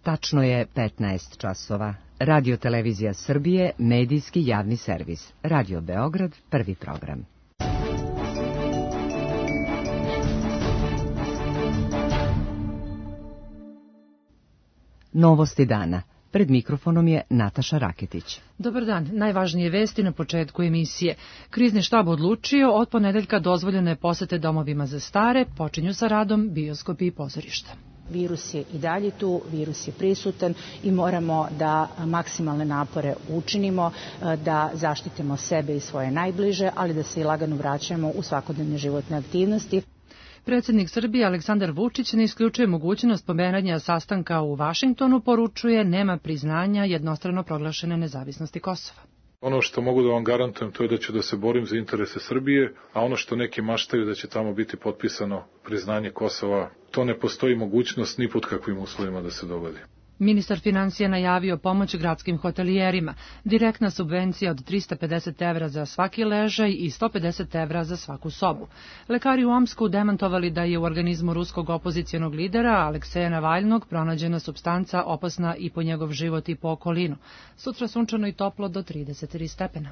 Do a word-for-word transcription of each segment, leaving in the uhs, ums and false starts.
Tačno je petnaest časova. Radio Televizija Srbije, medijski javni servis. Radio Beograd, prvi program. Novosti dana. Pred mikrofonom je Nataša Raketić. Dobar dan. Najvažnije vesti na početku emisije. Krizni štab odlučio, od ponedeljka dozvoljene posete domovima za stare, počinju sa radom bioskopi i pozorišta. Virus je i dalje tu, virus je prisutan i moramo da maksimalne napore učinimo, da zaštitimo sebe i svoje najbliže, ali da se i lagano vraćamo u svakodnevne životne aktivnosti. Predsjednik Srbije Aleksandar Vučić ne isključuje mogućnost pomeranja sastanka u Vašingtonu, poručuje nema priznanja jednostrano proglašene nezavisnosti Kosova. Ono što mogu da vam garantujem to je da ću da se borim za interese Srbije, a ono što neki maštaju da će tamo biti potpisano priznanje Kosova, to ne postoji mogućnost ni pod kakvim uslovima da se dogodi. Ministar financija najavio pomoć gradskim hotelijerima, direktna subvencija od trista pedeset evra za svaki ležaj i sto pedeset evra za svaku sobu. Lekari u Omsku demantovali da je u organizmu ruskog opozicionog lidera Alekseja Navaljnog pronađena supstanca opasna i po njegov život i po okolinu. Sutra sunčano i toplo do trideset tri stepena.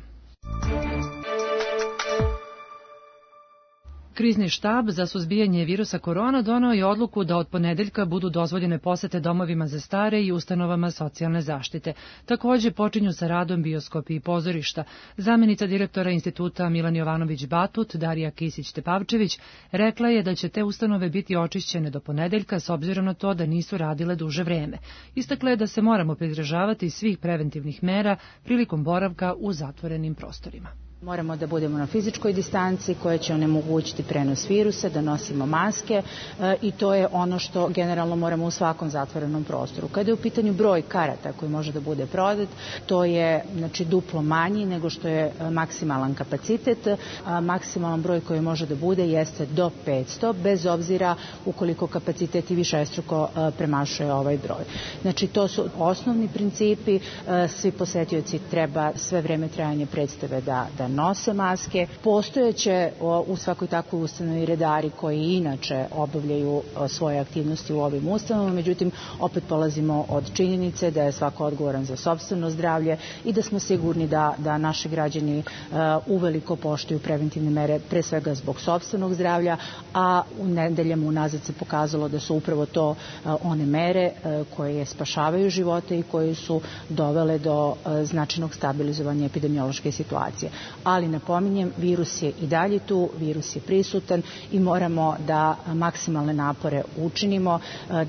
Krizni štab za suzbijanje virusa korona doneo je odluku da od ponedeljka budu dozvoljene posete domovima za stare i ustanovama socijalne zaštite. Takođe počinju sa radom bioskopi i pozorišta. Zamenica direktora instituta Milan Jovanović Batut, Darija Kisić-Tepavčević, rekla je da će te ustanove biti očišćene do ponedeljka s obzirom na to da nisu radile duže vreme. Istakla je da se moramo pridržavati svih preventivnih mera prilikom boravka u zatvorenim prostorima. Moramo da budemo na fizičkoj distanci koja će onemogućiti prenos virusa, da nosimo maske e, i to je ono što generalno moramo u svakom zatvorenom prostoru. Kada je u pitanju broj karata koji može da bude prodat, to je znači duplo manji nego što je maksimalan kapacitet. A maksimalan broj koji može da bude jeste do petsto, bez obzira ukoliko kapacitet i višestruko e, premašuje ovaj broj. Znači to su osnovni principi, e, svi posetioci treba sve vreme trajanja predstave da, da nose maske. Postojeće u svakoj takvoj ustanovi redari koji inače obavljaju svoje aktivnosti u ovim ustanovama, međutim opet polazimo od činjenice da je svako odgovoran za sopstveno zdravlje i da smo sigurni da, da naši građani uh, uveliko poštuju preventivne mere, pre svega zbog sopstvenog zdravlja, a u nedeljama unazad se pokazalo da su upravo to uh, one mere uh, koje spašavaju živote i koje su dovele do uh, značajnog stabilizovanja epidemiološke situacije. Ali napominjem, virus je i dalje tu, virus je prisutan i moramo da maksimalne napore učinimo,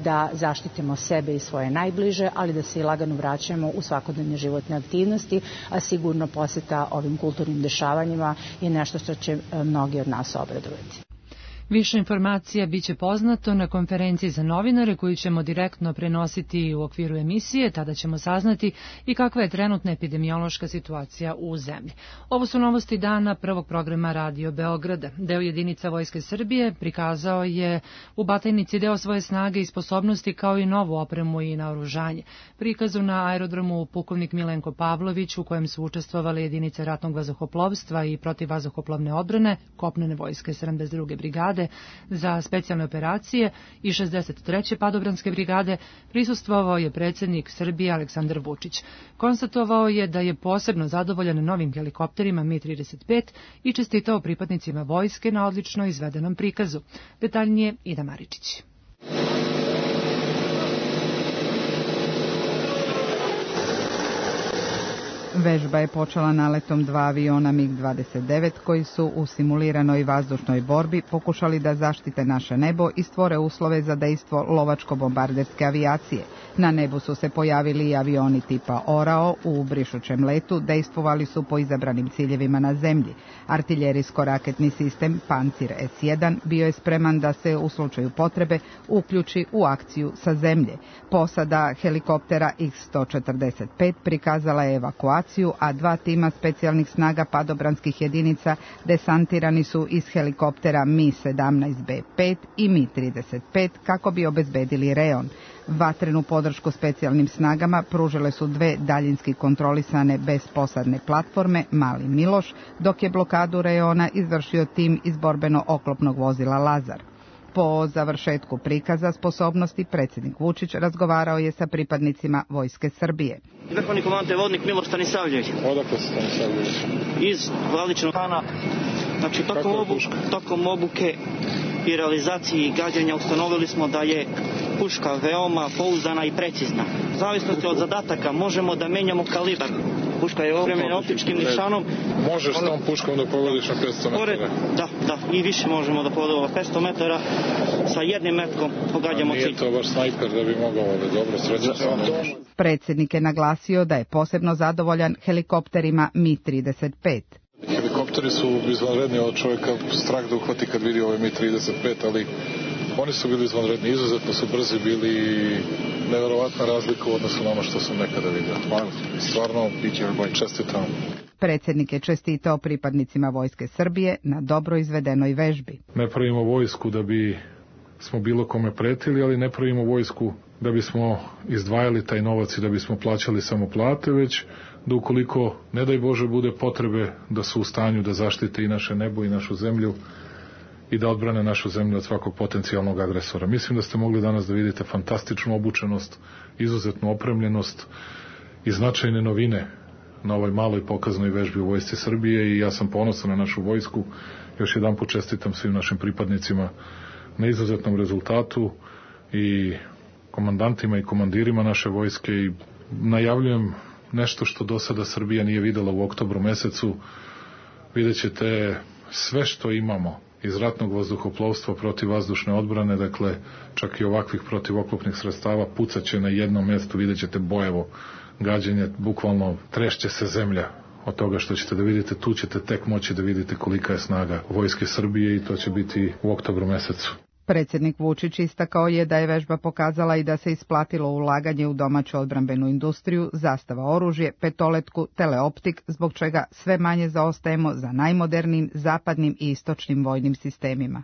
da zaštitimo sebe i svoje najbliže, ali da se i lagano vraćamo u svakodnevne životne aktivnosti, a sigurno poseta ovim kulturnim dešavanjima je nešto što će mnogi od nas obradovati. Više informacija biće poznato na konferenciji za novinare koju ćemo direktno prenositi u okviru emisije, tada ćemo saznati i kakva je trenutna epidemiološka situacija u zemlji. Ovo su novosti dana prvog programa Radio Beograda. Deo jedinica Vojske Srbije prikazao je u Batajnici deo svoje snage i sposobnosti kao i novu opremu i naoružanje. Prikazu na aerodromu pukovnik Milenko Pavlović, u kojem su učestvovali jedinice ratnog vazduhoplovstva i protivvazduhoplovne odbrane, kopnene vojske sedamdeset druge brigade za specijalne operacije i šezdeset treće padobranske brigade, prisustvovao je predsjednik Srbije Aleksandar Vučić. Konstatovao je da je posebno zadovoljan novim helikopterima Mi trideset pet i čestitao pripadnicima vojske na odlično izvedenom prikazu. Detaljnije Ida Maričić. Vežba je počela naletom dva aviona MiG dvadeset devet koji su u simuliranoj vazdušnoj borbi pokušali da zaštite naše nebo i stvore uslove za dejstvo lovačko-bombarderske avijacije. Na nebu su se pojavili i avioni tipa Orao u brišućem letu, dejstvovali su po izabranim ciljevima na zemlji. Artiljerijsko-raketni sistem Pancir es jedan bio je spreman da se u slučaju potrebe uključi u akciju sa zemlje. Posada helikoptera iks sto četrdeset pet prikazala je evakuaciju, a dva tima specijalnih snaga padobranskih jedinica desantirani su iz helikoptera Mi sedamnaest be pet i Mi trideset pet kako bi obezbedili rejon. Vatrenu podršku specijalnim snagama pružile su dve daljinski kontrolisane bezposadne platforme Mali Miloš, dok je blokadu rejona izvršio tim iz borbeno-oklopnog vozila Lazar. Po završetku prikaza sposobnosti predsjednik Vučić razgovarao je sa pripadnicima Vojske Srbije. Vrhovni komandant vodnik Miloš Stanisavljević. Odakle se Stanisavljević? Iz Vladičnog Hana. Znači, tokom, obu, tokom obuke i realizaciji gađanja ustanovili smo da je puška veoma pouzdana i precizna. U zavisnosti od zadataka možemo da menjamo kalibar. Puška je opremljena optičkim nišanom. Možeš s tom puškom da pogodiš na petsto metara? Da, da, i više možemo da pogodimo petsto metara. Sa jednim metkom pogađamo cilj. Nije to baš snajper da bi mogao, ali dobro, sreća sam. Predsjednik je naglasio da je posebno zadovoljan helikopterima Mi trideset pet. Helikopteri su izvanredni, od čovjeka strah da uhvati kad vidi ovaj Mi trideset pet, ali oni su bili izvanredni, izuzetno su brzi bili i neverovatna razlika u odnosu na ono što sam nekada vidio. Hvala. Stvarno, čestitam. Predsjednik je čestitao pripadnicima Vojske Srbije na dobro izvedenoj vežbi. Ne pravimo vojsku da bi smo bilo kome pretili, ali ne pravimo vojsku da bismo izdvajali taj novac i da bismo plaćali samo plate, već da ukoliko, ne daj Bože, bude potrebe da su u stanju da zaštite i naše nebo i našu zemlju i da odbrane našu zemlju od svakog potencijalnog agresora. Mislim da ste mogli danas da vidite fantastičnu obučenost, izuzetnu opremljenost i značajne novine na ovoj maloj pokaznoj vežbi u Vojsci Srbije i ja sam ponosan na našu vojsku. Još jedan put čestitam svim našim pripadnicima na izuzetnom rezultatu i komandantima i komandirima naše vojske i najavljujem nešto što do sada Srbija nije videla u oktobru mesecu. Vidjet ćete sve što imamo iz ratnog vazduhoplovstva protiv vazdušne odbrane, dakle čak i ovakvih protivoklopnih sredstava, pucaće na jednom mjestu, vidjet ćete bojevo gađenje, bukvalno trešće se zemlja od toga što ćete da vidite, tu ćete tek moći da vidite kolika je snaga Vojske Srbije i to će biti u oktobru mesecu. Predsjednik Vučić istakao je da je vežba pokazala i da se isplatilo ulaganje u domaću odbrambenu industriju, zastava oružje, petoletku, teleoptik, zbog čega sve manje zaostajemo za najmodernijim zapadnim i istočnim vojnim sistemima.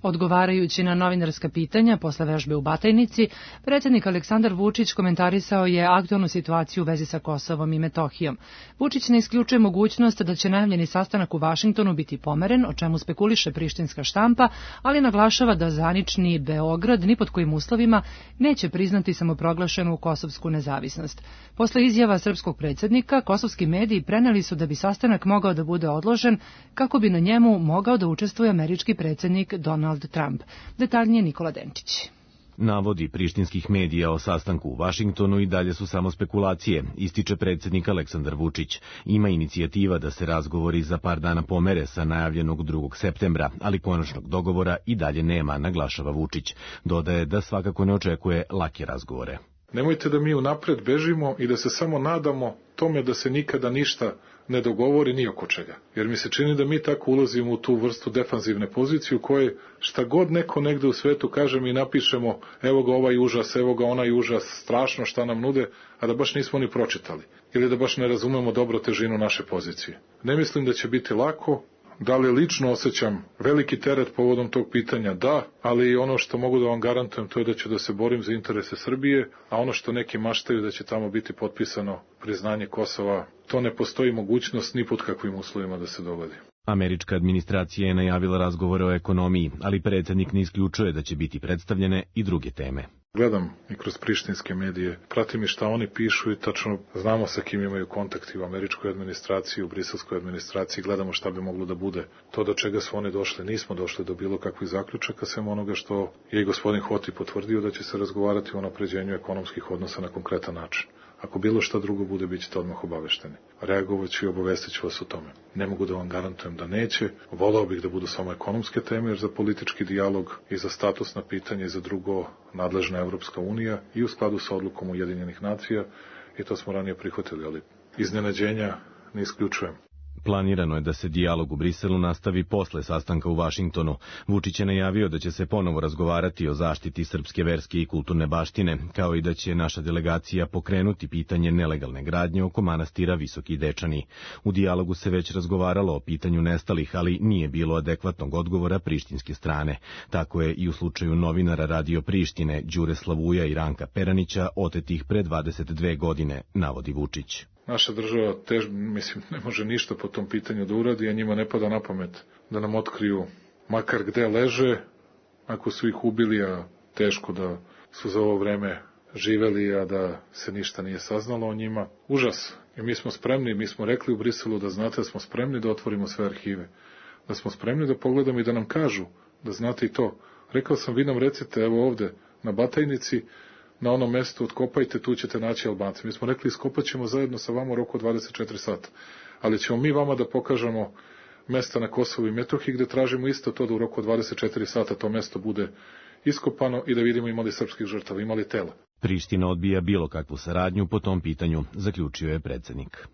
Odgovarajući na novinarska pitanja posle vežbe u Batajnici, predsjednik Aleksandar Vučić komentarisao je aktualnu situaciju u vezi sa Kosovom i Metohijom. Vučić ne isključuje mogućnost da će najavljeni sastanak u Vašingtonu biti pomeren, o čemu spekuliše prištinska štampa, ali naglašava da zvanični Beograd ni pod kojim uslovima neće priznati samoproglašenu kosovsku nezavisnost. Posle izjava srpskog predsjednika, kosovski mediji preneli su da bi sastanak mogao da bude odložen kako bi na njemu mogao da učestvuje američki predsjednik Donald Trump. Detaljnije Nikola Denčić. Navodi prištinskih medija o sastanku u Vašingtonu i dalje su samo spekulacije, ističe predsjednik Aleksandar Vučić. Ima inicijativa da se razgovori za par dana pomere sa najavljenog drugog septembra, ali konačnog dogovora i dalje nema, naglašava Vučić. Dodaje da svakako ne očekuje lake razgovore. Nemojte da mi unapred bežimo i da se samo nadamo tome da se nikada ništa ne dogovori ni oko čega. Jer mi se čini da mi tako ulazimo u tu vrstu defanzivne pozicije u kojoj šta god neko negde u svetu kaže mi napišemo evo ga ovaj užas, evo ga onaj užas, strašno šta nam nude, a da baš nismo ni pročitali. Ili da baš ne razumemo dobro težinu naše pozicije. Ne mislim da će biti lako. Da li lično osjećam veliki teret povodom tog pitanja? Da, ali ono što mogu da vam garantujem to je da ću da se borim za interese Srbije, a ono što neki maštaju da će tamo biti potpisano priznanje Kosova, to ne postoji mogućnost ni pod kakvim uslovima da se dogodi. Američka administracija je najavila razgovore o ekonomiji, ali predsjednik ne isključuje da će biti predstavljene i druge teme. Gledam i kroz prištinske medije, pratim i šta oni pišu i tačno znamo sa kim imaju kontakti u američkoj administraciji, u briselskoj administraciji, gledamo šta bi moglo da bude. To do čega su oni došli, nismo došli do bilo kakvih zaključaka, sem onoga što je i gospodin Hoti potvrdio da će se razgovarati o unapređenju ekonomskih odnosa na konkretan način. Ako bilo šta drugo bude, bit ćete odmah obavešteni. Reagovat ću i obavestit ću vas o tome. Ne mogu da vam garantujem da neće. Volao bih da budu samo ekonomske teme, jer za politički dijalog i za statusna pitanja i za drugo nadležna Evropska unija i u skladu sa odlukom Ujedinjenih nacija, i to smo ranije prihvatili, ali iznenađenja ne isključujem. Planirano je da se dijalog u Briselu nastavi posle sastanka u Vašingtonu. Vučić je najavio da će se ponovo razgovarati o zaštiti srpske verske i kulturne baštine, kao i da će naša delegacija pokrenuti pitanje nelegalne gradnje oko manastira Visoki Dečani. U dijalogu se već razgovaralo o pitanju nestalih, ali nije bilo adekvatnog odgovora prištinske strane. Tako je i u slučaju novinara Radio Prištine Đure Slavuja i Ranka Peranića, otetih pre dvadeset dve godine, navodi Vučić. Naša država, tež, mislim, ne može ništa po tom pitanju da uradi, a njima ne pada na pamet da nam otkriju makar gde leže, ako su ih ubili, a teško da su za ovo vreme živeli, a da se ništa nije saznalo o njima. Užas. I mi smo spremni, mi smo rekli u Briselu da znate da smo spremni da otvorimo sve arhive. Da smo spremni da pogledamo i da nam kažu, da znate i to. Rekao sam, vi nam recite, evo ovde, na Batajnici, na onom mestu, otkopajte, tu ćete naći Albance. Mi smo rekli, iskopat ćemo zajedno sa vama u roku od dvadeset četiri sata. Ali ćemo mi vama da pokažemo mesta na Kosovu i Metohiji, gde tražimo isto to da u roku od dvadeset četiri sata to mesto bude iskopano i da vidimo imali srpskih žrtava, imali tela. Priština odbija bilo kakvu saradnju po tom pitanju, zaključio je predsednik.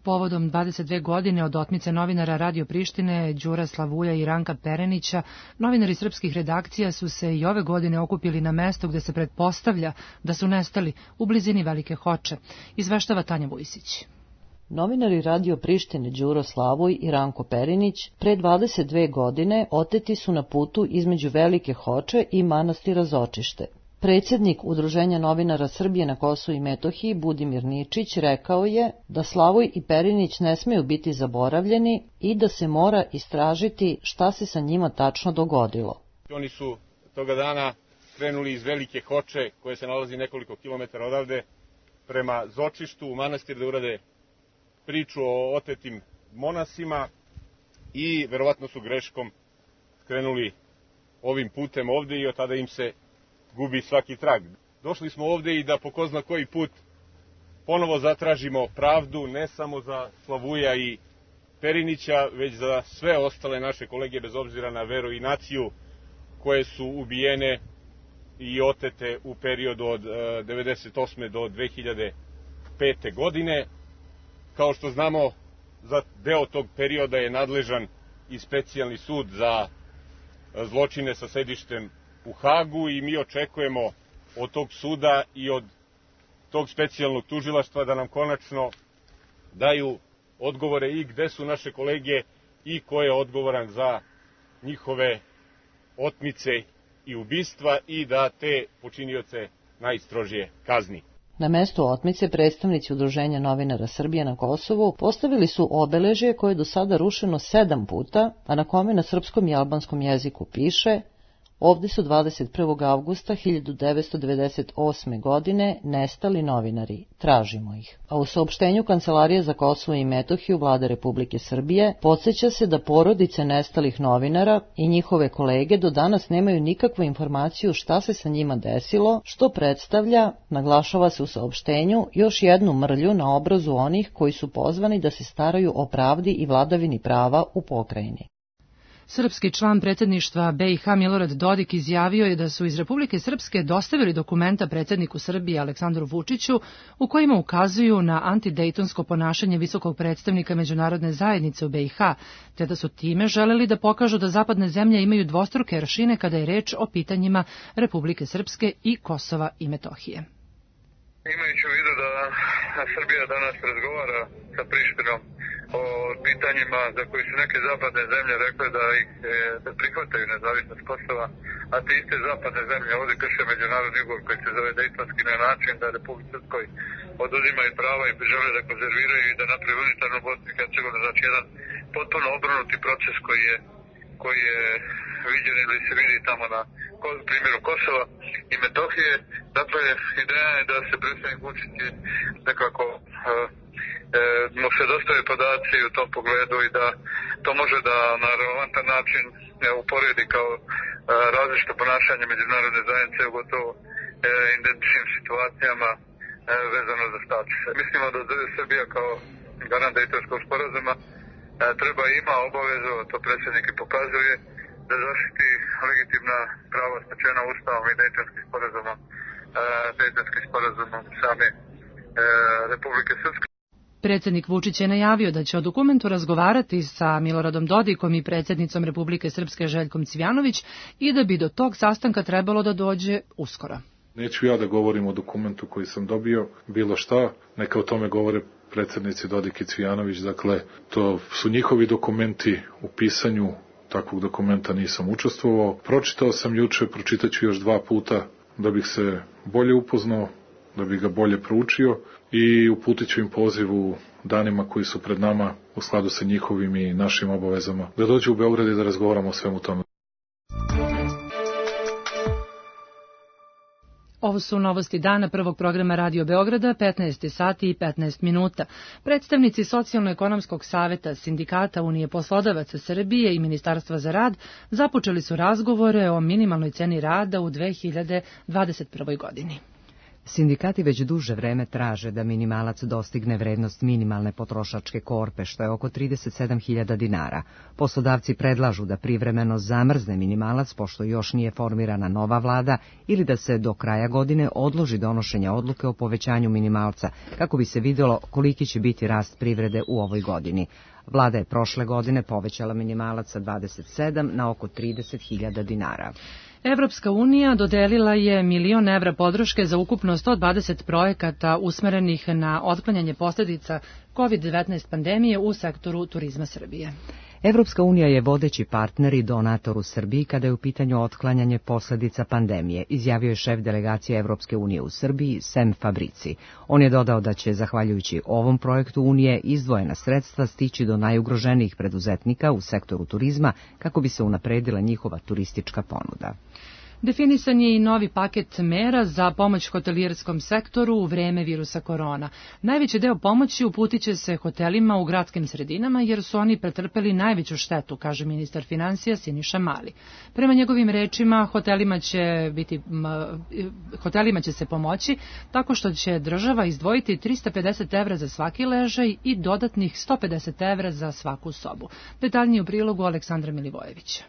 Povodom dvadeset dve godine od otmice novinara Radio Prištine Đura Slavuja i Ranka Perenića, novinari srpskih redakcija su se i ove godine okupili na mesto gde se pretpostavlja da su nestali u blizini Velike Hoče, izveštava Tanja Vujsić. Novinari Radio Prištine Đuro Slavuj i Ranko Perinić pre dvadeset dve godine oteti su na putu između Velike Hoče i manastira Zočište. Predsjednik Udruženja novinara Srbije na Kosovu i Metohiji Budimir Ničić rekao je da Slavuj i Perinić ne smeju biti zaboravljeni i da se mora istražiti šta se sa njima tačno dogodilo. Oni su toga dana krenuli iz Velike Hoče, koje se nalazi nekoliko kilometara odavde, prema Zočištu u manastir da urade priču o otetim monasima i verovatno su greškom krenuli ovim putem ovde i od tada im se gubi svaki trag. Došli smo ovde i da po ko zna koji put ponovo zatražimo pravdu, ne samo za Slavuja i Perinića, već za sve ostale naše kolege, bez obzira na veru i naciju, koje su ubijene i otete u periodu od devedeset osme do dve hiljade pete. godine. Kao što znamo, za deo tog perioda je nadležan i specijalni sud za zločine sa sedištem u Hagu i mi očekujemo od tog suda i od tog specijalnog tužilaštva da nam konačno daju odgovore i gde su naše kolege i ko je odgovoran za njihove otmice i ubistva i da te počinioce najstrožije kazni. Na mestu otmice predstavnici Udruženja novinara Srbije na Kosovu postavili su obeležje koje je do sada rušeno sedam puta, a na kome na srpskom i albanskom jeziku piše: ovde su dvadeset prvog avgusta hiljadu devetsto devedeset osme. godine nestali novinari, tražimo ih. A u saopštenju Kancelarije za Kosovo i Metohiju Vlade Republike Srbije podseća se da porodice nestalih novinara i njihove kolege do danas nemaju nikakvu informaciju šta se sa njima desilo, što predstavlja, naglašava se u saopštenju, još jednu mrlju na obrazu onih koji su pozvani da se staraju o pravdi i vladavini prava u pokrajini. Srpski član predsjedništva B i H Milorad Dodik izjavio je da su iz Republike Srpske dostavili dokumenta predsjedniku Srbije Aleksandru Vučiću u kojima ukazuju na antidejtonsko ponašanje visokog predstavnika međunarodne zajednice u B i H, te da su time želeli da pokažu da zapadne zemlje imaju dvostruke aršine kada je reč o pitanjima Republike Srpske i Kosova i Metohije. Imajući u vidu da Srbija danas razgovara sa Prištinom o pitanjima za koji su neke zapadne zemlje rekle da ih da prihvataju nezavisnost Kosova, a te iste zapadne zemlje ovdje krše međunarodni ugovor koji se zove Dejtonski na način da Republike Srpskoj oduzimaju prava i žele da konzerviraju i da napravi unitarnu Bosnu i Hercegovinu, znači jedan potpuno obrnuti proces koji je koji je viđen ili se vidi tamo na primjeru Kosova i Metohije. Dakle, ideja je da se predsjednik Vučić nekako mu se dostave podaci u tom pogledu i da to može da na relevantan način uporedi kao različito ponašanje međunarodne zajednice u gotovo identičnim situacijama vezano za status. Mislimo da Srbija kao garant Dejtonskog sporazuma treba i ima obavezu, to predsjednik i pokazuje, da zaštiti legitimna prava stečena Ustavom i Dejtonskim sporazumom, Dejtonskim sporazumom same Republike Srpske. Predsjednik Vučić je najavio da će o dokumentu razgovarati sa Miloradom Dodikom i predsjednicom Republike Srpske Željkom Cvijanović i da bi do tog sastanka trebalo da dođe uskoro. Neću ja da govorim o dokumentu koji sam dobio, bilo šta, neka o tome govore predsjednici Dodik i Cvijanović, dakle, to su njihovi dokumenti, u pisanju takvog dokumenta nisam učestvovao. Pročitao sam juče, pročitaću još dva puta da bih se bolje upoznao, da bih ga bolje proučio i uputit ću im poziv u danima koji su pred nama u skladu sa njihovim i našim obavezama, da dođu u Beograd i da razgovaramo o svemu tome. Ovo su novosti dana prvog programa Radio Beograda, petnaest sati i petnaest minuta. Predstavnici Socijalno-ekonomskog saveta, Sindikata Unije poslodavaca Srbije i Ministarstva za rad započeli su razgovore o minimalnoj ceni rada u dve hiljade dvadeset prvoj godini. Sindikati već duže vreme traže da minimalac dostigne vrednost minimalne potrošačke korpe, što je oko trideset sedam hiljada dinara. Poslodavci predlažu da privremeno zamrzne minimalac, pošto još nije formirana nova vlada, ili da se do kraja godine odloži donošenje odluke o povećanju minimalca, kako bi se vidjelo koliki će biti rast privrede u ovoj godini. Vlada je prošle godine povećala minimalac sa dvadeset sedam na oko trideset hiljada dinara. Evropska unija dodelila je milion evra podrške za ukupno sto dvadeset projekata usmerenih na otklanjanje posljedica kovid devetnaest pandemije u sektoru turizma Srbije. Evropska unija je vodeći partner i donator u Srbiji kada je u pitanju otklanjanje posljedica pandemije, izjavio je šef delegacije Evropske unije u Srbiji, Sem Fabrici. On je dodao da će, zahvaljujući ovom projektu Unije, izdvojena sredstva stići do najugroženijih preduzetnika u sektoru turizma kako bi se unapredila njihova turistička ponuda. Definisan je i novi paket mera za pomoć hotelijerskom sektoru u vreme virusa korona. Najveći deo pomoći uputit će se hotelima u gradskim sredinama jer su oni pretrpeli najveću štetu, kaže ministar finansija Siniša Mali. Prema njegovim rečima, hotelima će, biti, hotelima će se pomoći tako što će država izdvojiti trista pedeset evra za svaki ležaj i dodatnih sto pedeset evra za svaku sobu. Detaljnije u prilogu Aleksandra Milivojevića.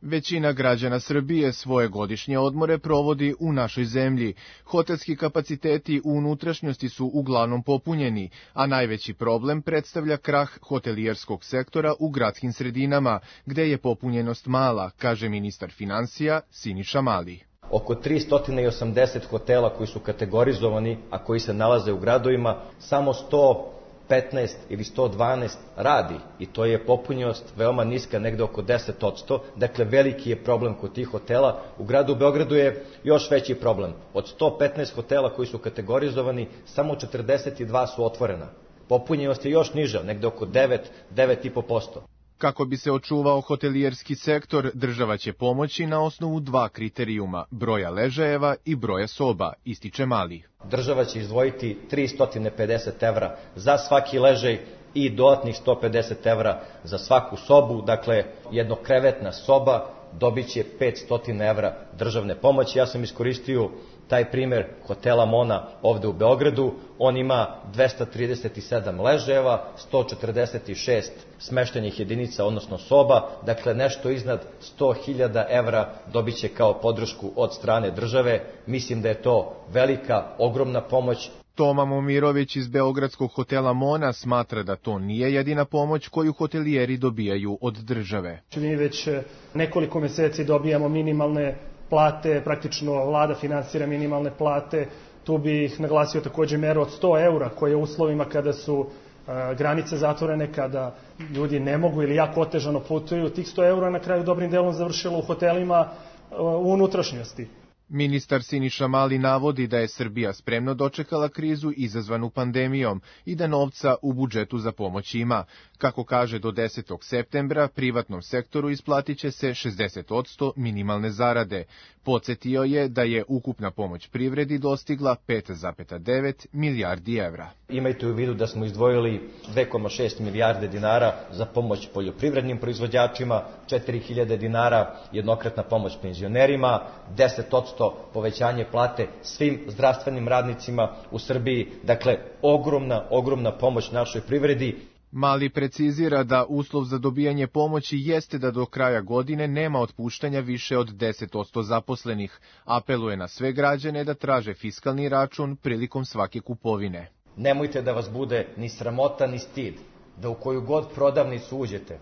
Većina građana Srbije svoje godišnje odmore provodi u našoj zemlji. Hotelski kapaciteti u unutrašnjosti su uglavnom popunjeni, a najveći problem predstavlja krah hotelijerskog sektora u gradskim sredinama, gde je popunjenost mala, kaže ministar finansija Siniša Mali. Oko tristo osamdeset hotela koji su kategorizovani, a koji se nalaze u gradovima, samo sto petnaest ili sto dvanaest radi i to je popunjenost veoma niska, negde oko deset posto. Dakle, veliki je problem kod tih hotela. U gradu Beogradu je još veći problem. Od sto petnaest hotela koji su kategorizovani, samo četrdeset dva su otvorena. Popunjenost je još niža, negde oko devet, devet i po posto. Kako bi se očuvao hotelijerski sektor, država će pomoći na osnovu dva kriterijuma, broja ležajeva i broja soba, ističe Mali. Država će izdvojiti tristo pedeset evra za svaki ležaj i dodatnih sto pedeset evra za svaku sobu, dakle jednokrevetna soba dobit će petsto evra državne pomoći. Ja sam iskoristio taj primer hotela Mona ovde u Beogradu. On ima dvesta trideset sedam ležajeva, sto četrdeset šest smeštenih jedinica, odnosno soba, dakle nešto iznad sto hiljada evra dobit će kao podršku od strane države. Mislim da je to velika, ogromna pomoć. Toma Momirović iz beogradskog hotela Mona smatra da to nije jedina pomoć koju hotelijeri dobijaju od države. Mi već nekoliko meseci dobijamo minimalne plate, praktično vlada finansira minimalne plate. Tu bih naglasio takođe meru od sto eura koje u uslovima kada su a, granice zatvorene, kada ljudi ne mogu ili jako otežano putuju, tih sto eura na kraju dobrim delom završilo u hotelima a, u unutrašnjosti. Ministar Siniša Mali navodi da je Srbija spremno dočekala krizu izazvanu pandemijom i da novca u budžetu za pomoć ima. Kako kaže, do desetog septembra privatnom sektoru isplatit će se šezdeset posto minimalne zarade. Podsjetio je da je ukupna pomoć privredi dostigla pet zarez devet milijardi evra. Imajte u vidu da smo izdvojili dve zarez šest milijarde dinara za pomoć poljoprivrednim proizvođačima, četiri hiljade dinara jednokratna pomoć penzionerima, deset posto povećanje plate svim zdravstvenim radnicima u Srbiji. Dakle, ogromna, ogromna pomoć našoj privredi. Mali precizira da uslov za dobijanje pomoći jeste da do kraja godine nema otpuštanja više od deset posto zaposlenih. Apeluje na sve građane da traže fiskalni račun prilikom svake kupovine. Nemojte da vas bude ni sramota ni stid, da u koju god prodavnicu uđete,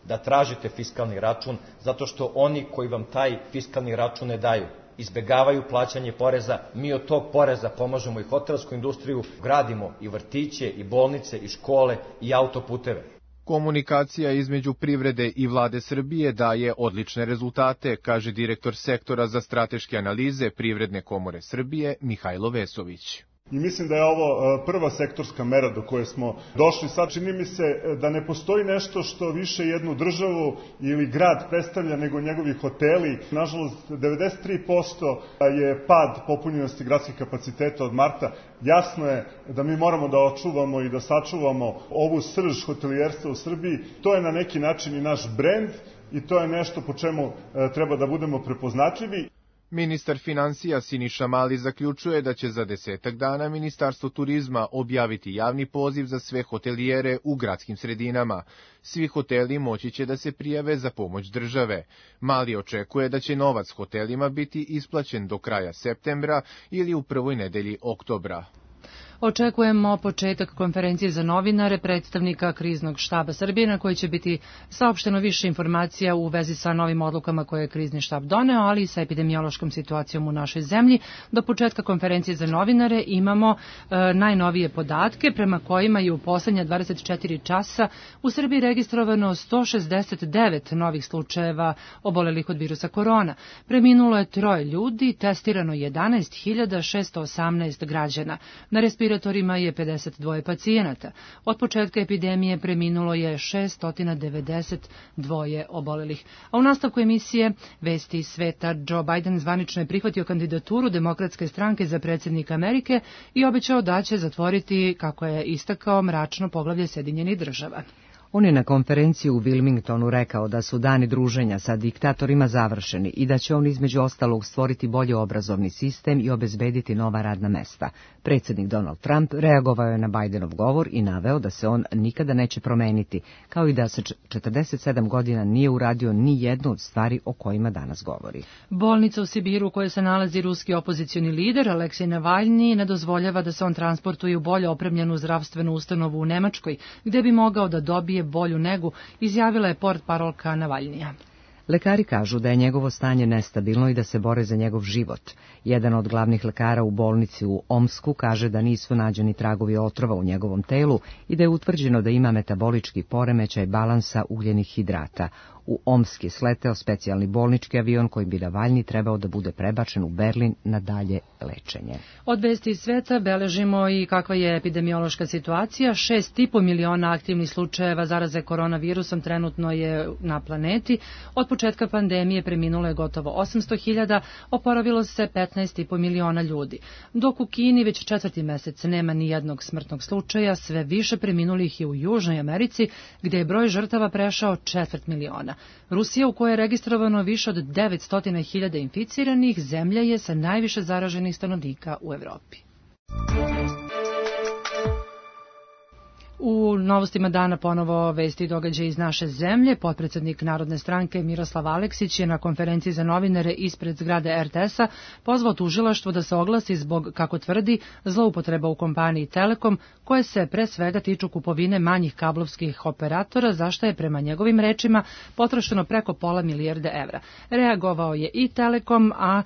da tražite fiskalni račun, zato što oni koji vam taj fiskalni račun ne daju, izbegavaju plaćanje poreza. Mi od tog poreza pomažemo i hotelsku industriju, gradimo i vrtiće, i bolnice, i škole, i autoputeve. Komunikacija između privrede i vlade Srbije daje odlične rezultate, kaže direktor sektora za strateške analize Privredne komore Srbije Mihajlo Vesović. I mislim da je ovo prva sektorska mera do koje smo došli. Sad čini mi se da ne postoji nešto što više jednu državu ili grad predstavlja nego njegovi hoteli. Nažalost, devedeset tri posto je pad popunjenosti gradskih kapaciteta od marta. Jasno je da mi moramo da očuvamo i da sačuvamo ovu srž hotelijerstva u Srbiji. To je na neki način i naš brend i to je nešto po čemu treba da budemo prepoznatljivi. Ministar finansija Siniša Mali zaključuje da će za desetak dana Ministarstvo turizma objaviti javni poziv za sve hotelijere u gradskim sredinama. Svi hoteli moći će da se prijave za pomoć države. Mali očekuje da će novac hotelima biti isplaćen do kraja septembra ili u prvoj nedelji oktobra. Očekujemo početak konferencije za novinare predstavnika Kriznog štaba Srbije na kojoj će biti saopšteno više informacija u vezi sa novim odlukama koje je Krizni štab doneo, ali i sa epidemiološkom situacijom u našoj zemlji. Do početka konferencije za novinare imamo e, najnovije podatke prema kojima je u poslednja dvadeset četiri časa u Srbiji registrovano sto šezdeset devet novih slučajeva obolelih od virusa korona. Preminulo je troje ljudi, testirano jedanaest hiljada šesto osamnaest građana. Na respiratorima je pedeset dva pacijenata. Od početka epidemije preminulo je šesto devedeset dva obolelih. A u nastavku emisije Vesti iz sveta, Joe Biden zvanično je prihvatio kandidaturu Demokratske stranke za predsjednika Amerike i obećao da će zatvoriti, kako je istakao, mračno poglavlje Sjedinjenih država. On je na konferenciji u Wilmingtonu rekao da su dani druženja sa diktatorima završeni i da će on između ostalog stvoriti bolji obrazovni sistem i obezbediti nova radna mesta. Predsjednik Donald Trump reagovao je na Bidenov govor i naveo da se on nikada neće promeniti, kao i da se četrdeset sedam godina nije uradio ni jednu od stvari o kojima danas govori. Bolnica u Sibiru u kojoj se nalazi ruski opozicioni lider Aleksej Navalni ne dozvoljava da se on transportuje u bolje opremljenu zdravstvenu ustanovu u Nemačkoj, gde bi mogao da dobije bolju negu, izjavila je portparolka Navalnija. Lekari kažu da je njegovo stanje nestabilno i da se bore za njegov život. Jedan od glavnih lekara u bolnici u Omsku kaže da nisu nađeni tragovi otrova u njegovom telu i da je utvrđeno da ima metabolički poremećaj balansa ugljenih hidrata. U Omsk je sleteo specijalni bolnički avion kojim bi Navalni trebao da bude prebačen u Berlin na dalje lečenje. Od vesti iz sveta beležimo i kakva je epidemiološka situacija. Šest i po miliona aktivnih slučajeva zaraze koronavirusom trenutno je na planeti. Od početka pandemije preminulo je gotovo osamsto hiljada, oporavilo se petnaest i po miliona ljudi. Dok u Kini već četvrti mesec nema ni jednog smrtnog slučaja, sve više preminulih je u Južnoj Americi, gde je broj žrtava prešao četvrt miliona. Rusija, u kojoj je registrovano više od devetsto hiljada inficiranih, zemlja je sa najviše zaraženih stanovnika u Evropi. U novostima dana ponovo vesti i događaje iz naše zemlje. Potpredsednik Narodne stranke Miroslav Aleksić je na konferenciji za novinare ispred zgrade er te es-a pozvao tužilaštvo da se oglasi zbog, kako tvrdi, zloupotreba u kompaniji Telekom, koje se pre svega tiču kupovine manjih kablovskih operatora, za što je prema njegovim rečima potrošeno preko pola milijarde evra. Reagovao je i Telekom, a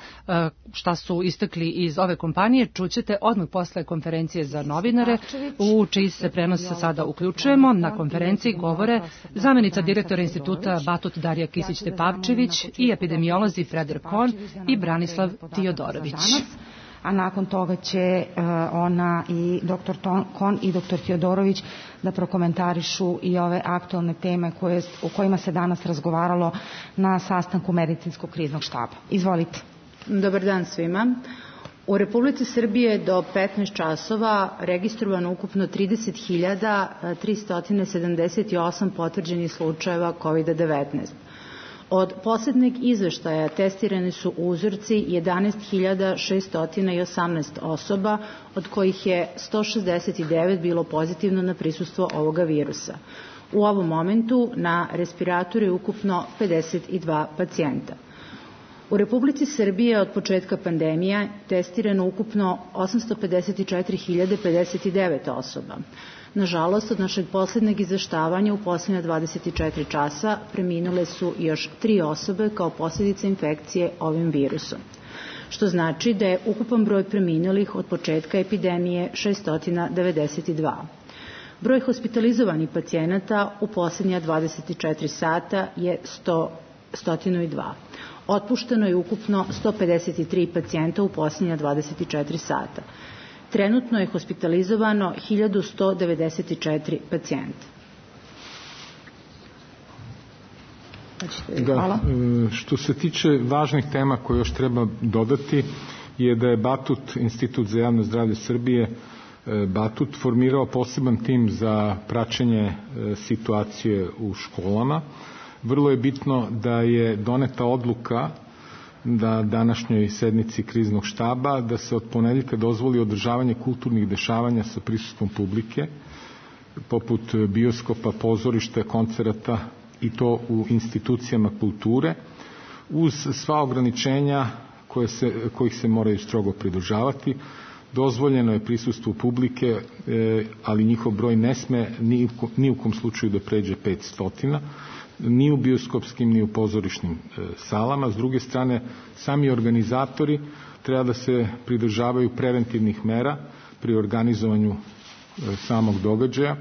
šta su istakli iz ove kompanije čućete odmah posle konferencije za novinare, u čiji se prenos sa sada uključujemo. Na konferenciji govore zamenica direktora instituta Batut Darija Kisić-Tepavčević i epidemiolozi Freder Kohn i Branislav Tiodorović. A nakon toga će uh, ona i doktor Kohn i doktor Tiodorović da prokomentarišu i ove aktualne teme koje, u kojima se danas razgovaralo na sastanku medicinskog kriznog štaba. Izvolite. Dobar dan svima. U Republici Srbije do petnaest časova registrovano ukupno trideset hiljada tristo sedamdeset osam potvrđenih slučajeva kovid devetnaest. Od poslednjeg izveštaja testirani su uzorci jedanaest hiljada šesto osamnaest osoba, od kojih je sto šezdeset devet bilo pozitivno na prisustvo ovoga virusa. U ovom momentu na respiratoru je ukupno pedeset dva pacijenta. U Republici Srbije od početka pandemije testirano ukupno osamsto pedeset četiri hiljade pedeset devet osoba. Nažalost, od našeg poslednjeg izveštavanja u poslednja dvadeset četiri časa preminule su još tri osobe kao posljedica infekcije ovim virusom, što znači da je ukupan broj preminulih od početka epidemije šesto devedeset dva. Broj hospitalizovanih pacijenata u poslednja dvadeset četiri sata je sto dva. Otpušteno je ukupno sto pedeset tri pacijenta u posljednja dvadeset četiri sata. Trenutno je hospitalizovano hiljadu sto devedeset četiri pacijenta. Da, što se tiče važnih tema koje još treba dodati je da je Batut, Institut za javno zdravlje Srbije, Batut formirao poseban tim za praćenje situacije u školama. Vrlo je bitno da je doneta odluka da današnjoj sednici kriznog štaba da se od ponedeljka dozvoli održavanje kulturnih dešavanja sa prisustvom publike, poput bioskopa, pozorišta, koncerata, i to u institucijama kulture, uz sva ograničenja koje se, kojih se moraju strogo pridržavati. Dozvoljeno je prisustvo publike, ali njihov broj ne sme ni, ni u kom slučaju da pređe petsto, ni u bioskopskim, ni u pozorišnim salama. S druge strane, sami organizatori treba da se pridržavaju preventivnih mera pri organizovanju samog događaja,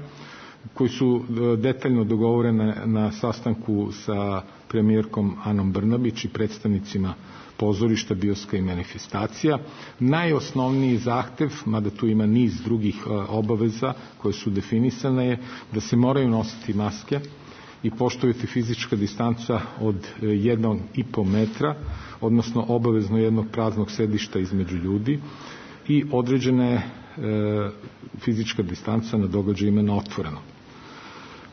koji su detaljno dogovorene na sastanku sa premijerkom Anom Brnabić i predstavnicima pozorišta, bioska i manifestacija. Najosnovniji zahtev, mada tu ima niz drugih obaveza koje su definisane, je da se moraju nositi maske i poštovati fizička distanca od jednog i po metra, odnosno obavezno jednog praznog sedišta između ljudi i određena je e, fizička distanca na događajima na otvoreno.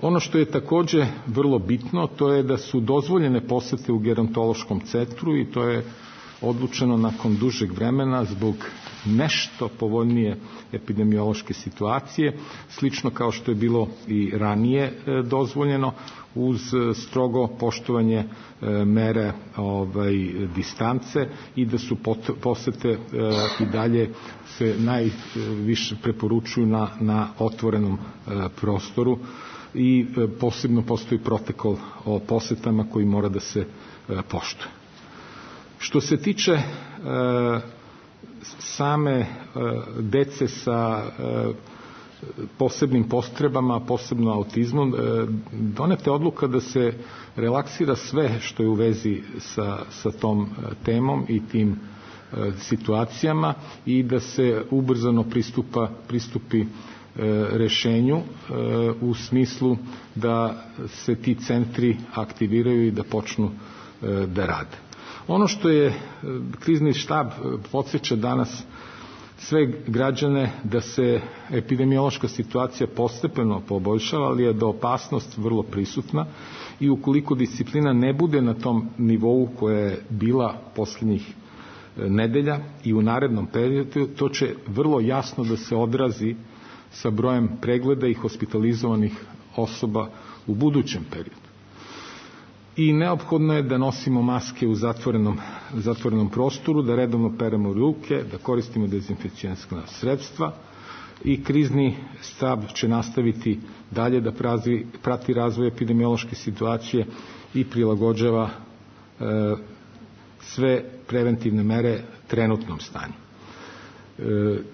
Ono što je takođe vrlo bitno, to je da su dozvoljene posete u gerontološkom centru i to je odlučeno nakon dužeg vremena zbog nešto povoljnije epidemiološke situacije, slično kao što je bilo i ranije dozvoljeno, uz strogo poštovanje mere ovaj, distance i da su posete i dalje se najviše preporučuju na, na otvorenom prostoru i posebno postoji protokol o posetama koji mora da se poštuje. Što se tiče e, same e, dece sa e, posebnim potrebama, posebno autizmom, e, doneta je odluka da se relaksira sve što je u vezi sa, sa tom temom i tim e, situacijama i da se ubrzano pristupa, pristupi rešenju u smislu da se ti centri aktiviraju i da počnu da rade. Ono što je krizni štab podsjeća danas sve građane da se epidemiološka situacija postepeno poboljšava, ali je da opasnost vrlo prisutna i ukoliko disciplina ne bude na tom nivou koja je bila poslednjih nedelja i u narednom periodu, to će vrlo jasno da se odrazi sa brojem pregleda i hospitalizovanih osoba u budućem periodu. I neophodno je da nosimo maske u zatvorenom, zatvorenom prostoru, da redovno peremo ruke, da koristimo dezinficijenska sredstva i krizni štab će nastaviti dalje da prazi, prati razvoj epidemiološke situacije i prilagođava e, sve preventivne mere trenutnom stanju. E,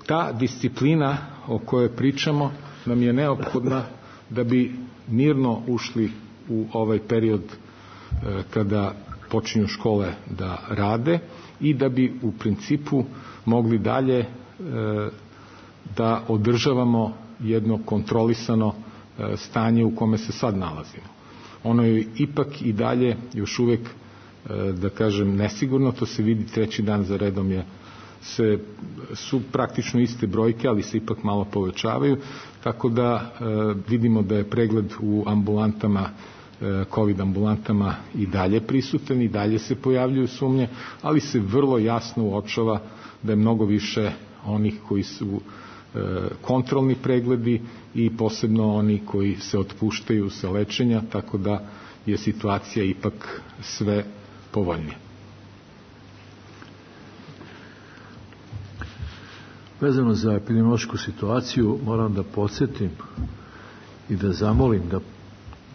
ta disciplina o kojoj pričamo nam je neophodna da bi mirno ušli u ovaj period e, kada počinju škole da rade i da bi u principu mogli dalje e, da održavamo jedno kontrolisano e, stanje u kome se sad nalazimo. Ono je ipak i dalje još uvek, e, da kažem, nesigurno, to se vidi treći dan za redom je se, su praktično iste brojke, ali se ipak malo povećavaju, tako da e, vidimo da je pregled u ambulantama, e, COVID ambulantama i dalje prisutan i dalje se pojavljuju sumnje, ali se vrlo jasno uočava da je mnogo više onih koji su e, kontrolni pregledi i posebno oni koji se otpuštaju sa lečenja, tako da je situacija ipak sve povoljnija. Vezano za epidemiološku situaciju moram da podsjetim i da zamolim da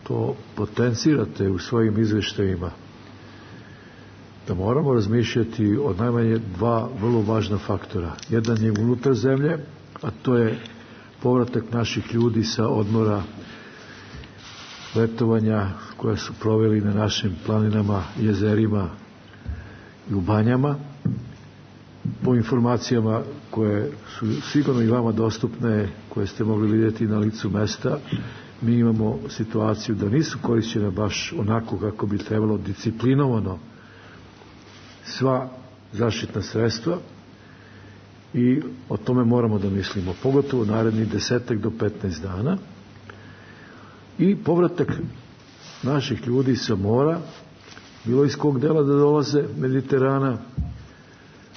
to potencirate u svojim izveštajima, da moramo razmišljati o najmanje dva vrlo važna faktora. Jedan je unutar zemlje, a to je povratak naših ljudi sa odmora letovanja koje su proveli na našim planinama, jezerima i u banjama. po informacijama koje su sigurno i vama dostupne, koje ste mogli vidjeti na licu mesta, mi imamo situaciju da nisu korišćene baš onako kako bi trebalo, disciplinovano sva zaštitna sredstva, i o tome moramo da mislimo, pogotovo narednih desetak do petnaest dana. I povratak naših ljudi sa mora, bilo iz kog dela da dolaze Mediterana,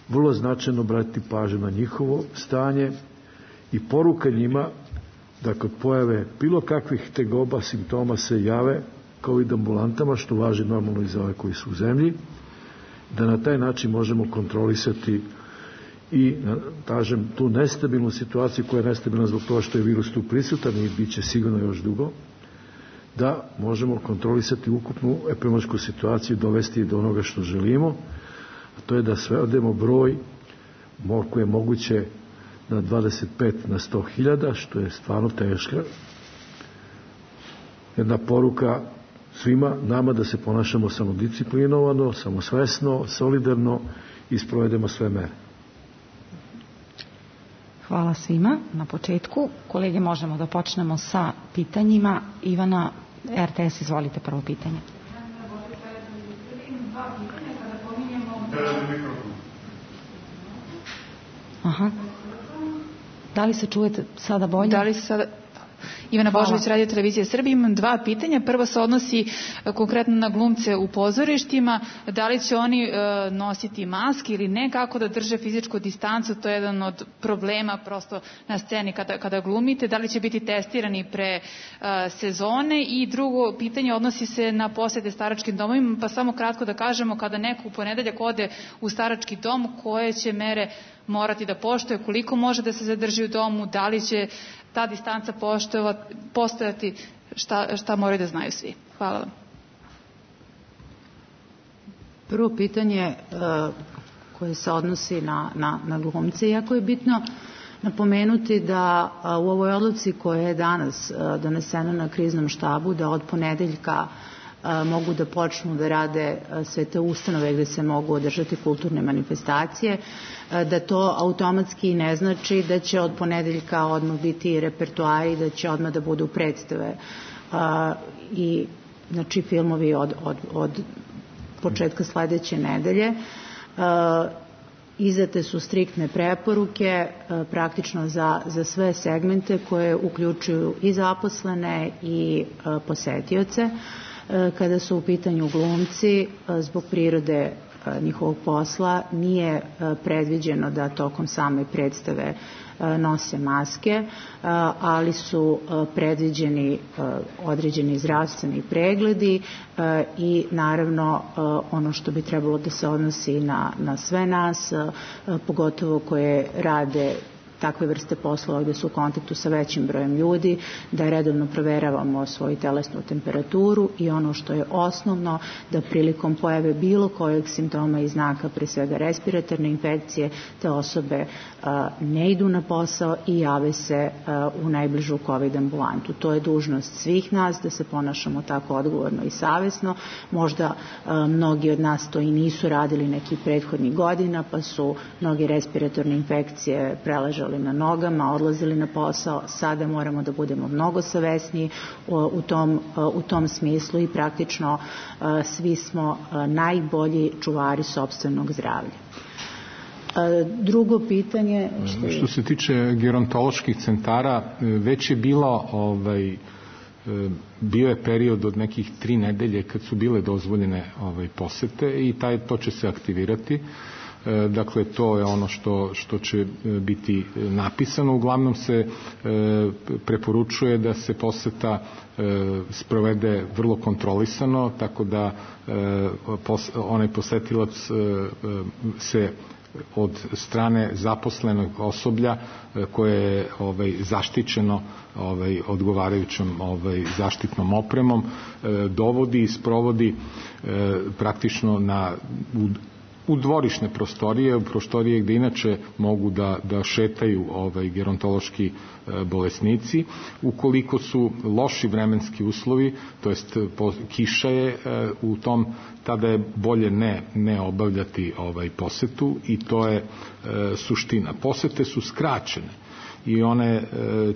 vrlo značajno obratiti pažnju na njihovo stanje i poruka njima da kod pojave bilo kakvih tegoba, simptoma se jave COVID ambulantama, što važi normalno i za ove koji su u zemlji, da na taj način možemo kontrolisati i, kažem, tu nestabilnu situaciju koja je nestabilna zbog toga što je virus tu prisutan i bit će sigurno još dugo, da možemo kontrolisati ukupnu epidemiološku situaciju i dovesti do onoga što želimo, a to je da svedemo broj koji je moguće na dvadeset pet na sto hiljada, što je stvarno teška. Jedna poruka svima nama da se ponašamo samodisciplinovano, samosvesno, solidarno i sprovedemo sve mere. Hvala svima na početku. Kolege, možemo da počnemo sa pitanjima. Ivana, R T S, izvolite prvo pitanje. Aha. Da li se čujete sada bolje? Da li se sada... Ivana Božović, Radio Televizija Srbije. Imam dva pitanja. Prvo se odnosi konkretno na glumce u pozorištima. Da li će oni e, nositi maske ili ne, kako da drže fizičku distancu, to je jedan od problema prosto na sceni kada, kada glumite. Da li će biti testirani pre e, sezone? I drugo pitanje odnosi se na posete staračkim domovima, pa samo kratko da kažemo, kada neko u ponedeljak ode u starački dom, koje će mere morati da poštuje, koliko može da se zadrži u domu, da li će ta distanca postojati, šta, šta moraju da znaju svi. Hvala vam. Prvo pitanje uh, koje se odnosi na, na, na glumce, jako je bitno napomenuti da uh, u ovoj odluci koja je danas uh, donesena na kriznom štabu, da od ponedeljka uh, mogu da počnu da rade uh, sve te ustanove gde se mogu održati kulturne manifestacije, da to automatski ne znači da će od ponedeljka odmah biti repertoari, da će odmah da budu predstave a, i znači filmovi od, od, od početka sledeće nedelje. A, izdate su striktne preporuke a, praktično za, za sve segmente koje uključuju i zaposlene i a, posetioce. A, kada su u pitanju glumci, a, zbog prirode njihovog posla nije predviđeno da tokom same predstave nose maske, ali su predviđeni određeni zdravstveni pregledi i naravno ono što bi trebalo da se odnosi na, na sve nas, pogotovo koje rade takve vrste poslova gde su u kontaktu sa većim brojem ljudi, da redovno proveravamo svoju telesnu temperaturu i ono što je osnovno, da prilikom pojave bilo kojeg simptoma i znaka, pre svega respiratorne infekcije, te osobe a, ne idu na posao i jave se a, u najbližu COVID ambulantu. To je dužnost svih nas da se ponašamo tako odgovorno i savesno. Možda a, mnogi od nas to i nisu radili nekih prethodnih godina, pa su mnoge respiratorne infekcije preležale na nogama, odlazili na posao. Sada moramo da budemo mnogo savesniji u tom, u tom smislu i praktično svi smo najbolji čuvari sopstvenog zdravlja. Drugo pitanje... Što, je... što se tiče gerontoloških centara, već je bilo ovaj, bio je period od nekih tri nedelje kad su bile dozvoljene ovaj, posete i taj, to će se aktivirati. Dakle, to je ono što, što će biti napisano. Uglavnom se e, preporučuje da se poseta e, sprovede vrlo kontrolisano, tako da e, pos, onaj posetilac e, se od strane zaposlenog osoblja e, koje je ovaj, zaštićeno ovaj, odgovarajućom ovaj, zaštitnom opremom, e, dovodi i sprovodi e, praktično na u, u dvorišne prostorije, u prostorije gde inače mogu da, da šetaju ovaj, gerontološki e, bolesnici. Ukoliko su loši vremenski uslovi, to jest kiša je e, u tom, tada je bolje ne, ne obavljati ovaj, posetu i to je e, suština. Posete su skraćene i one e,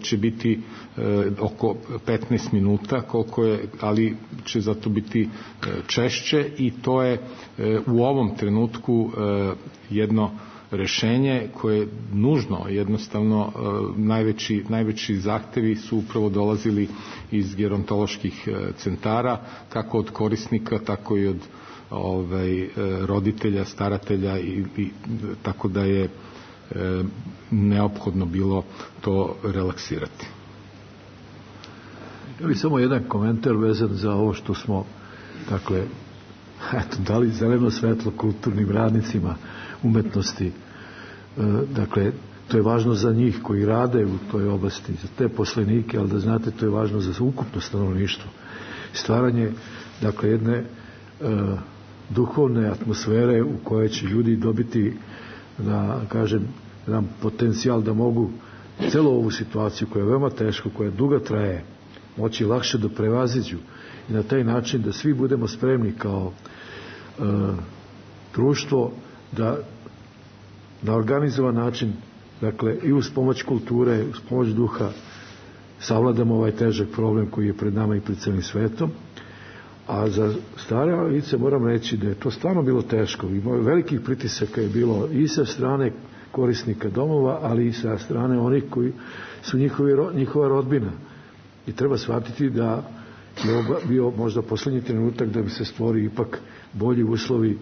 će biti e, oko petnaest minuta, koliko je, ali će zato biti e, češće i to je e, u ovom trenutku e, jedno rešenje koje je nužno, jednostavno e, najveći, najveći zahtevi su upravo dolazili iz gerontoloških e, centara, kako od korisnika, tako i od ovaj, e, roditelja, staratelja i, i tako da je E, neophodno bilo to relaksirati. Ja bih samo jedan komentar vezan za ovo što smo, dakle, eto, dali zeleno svetlo kulturnim radnicima umetnosti. E, dakle, to je važno za njih koji rade u toj oblasti, za te poslenike, ali da znate, to je važno za ukupno stanovništvo. Stvaranje, dakle, jedne e, duhovne atmosfere u kojoj će ljudi dobiti, da kažem, jedan potencijal da mogu celu ovu situaciju koja je veoma teška, koja dugo traje, moći lakše da prevaziđu i na taj način da svi budemo spremni kao e, društvo da na organizovan način, dakle i uz pomoć kulture, uz pomoć duha savladamo ovaj težak problem koji je pred nama i pred celim svetom. A za stare lice moram reći da je to stvarno bilo teško. Ima velikih pritisaka je bilo i sa strane korisnika domova, ali i sa strane onih koji su njihovi, njihova rodbina. I treba shvatiti da je bio možda poslednji trenutak da bi se stvori ipak bolji uslovi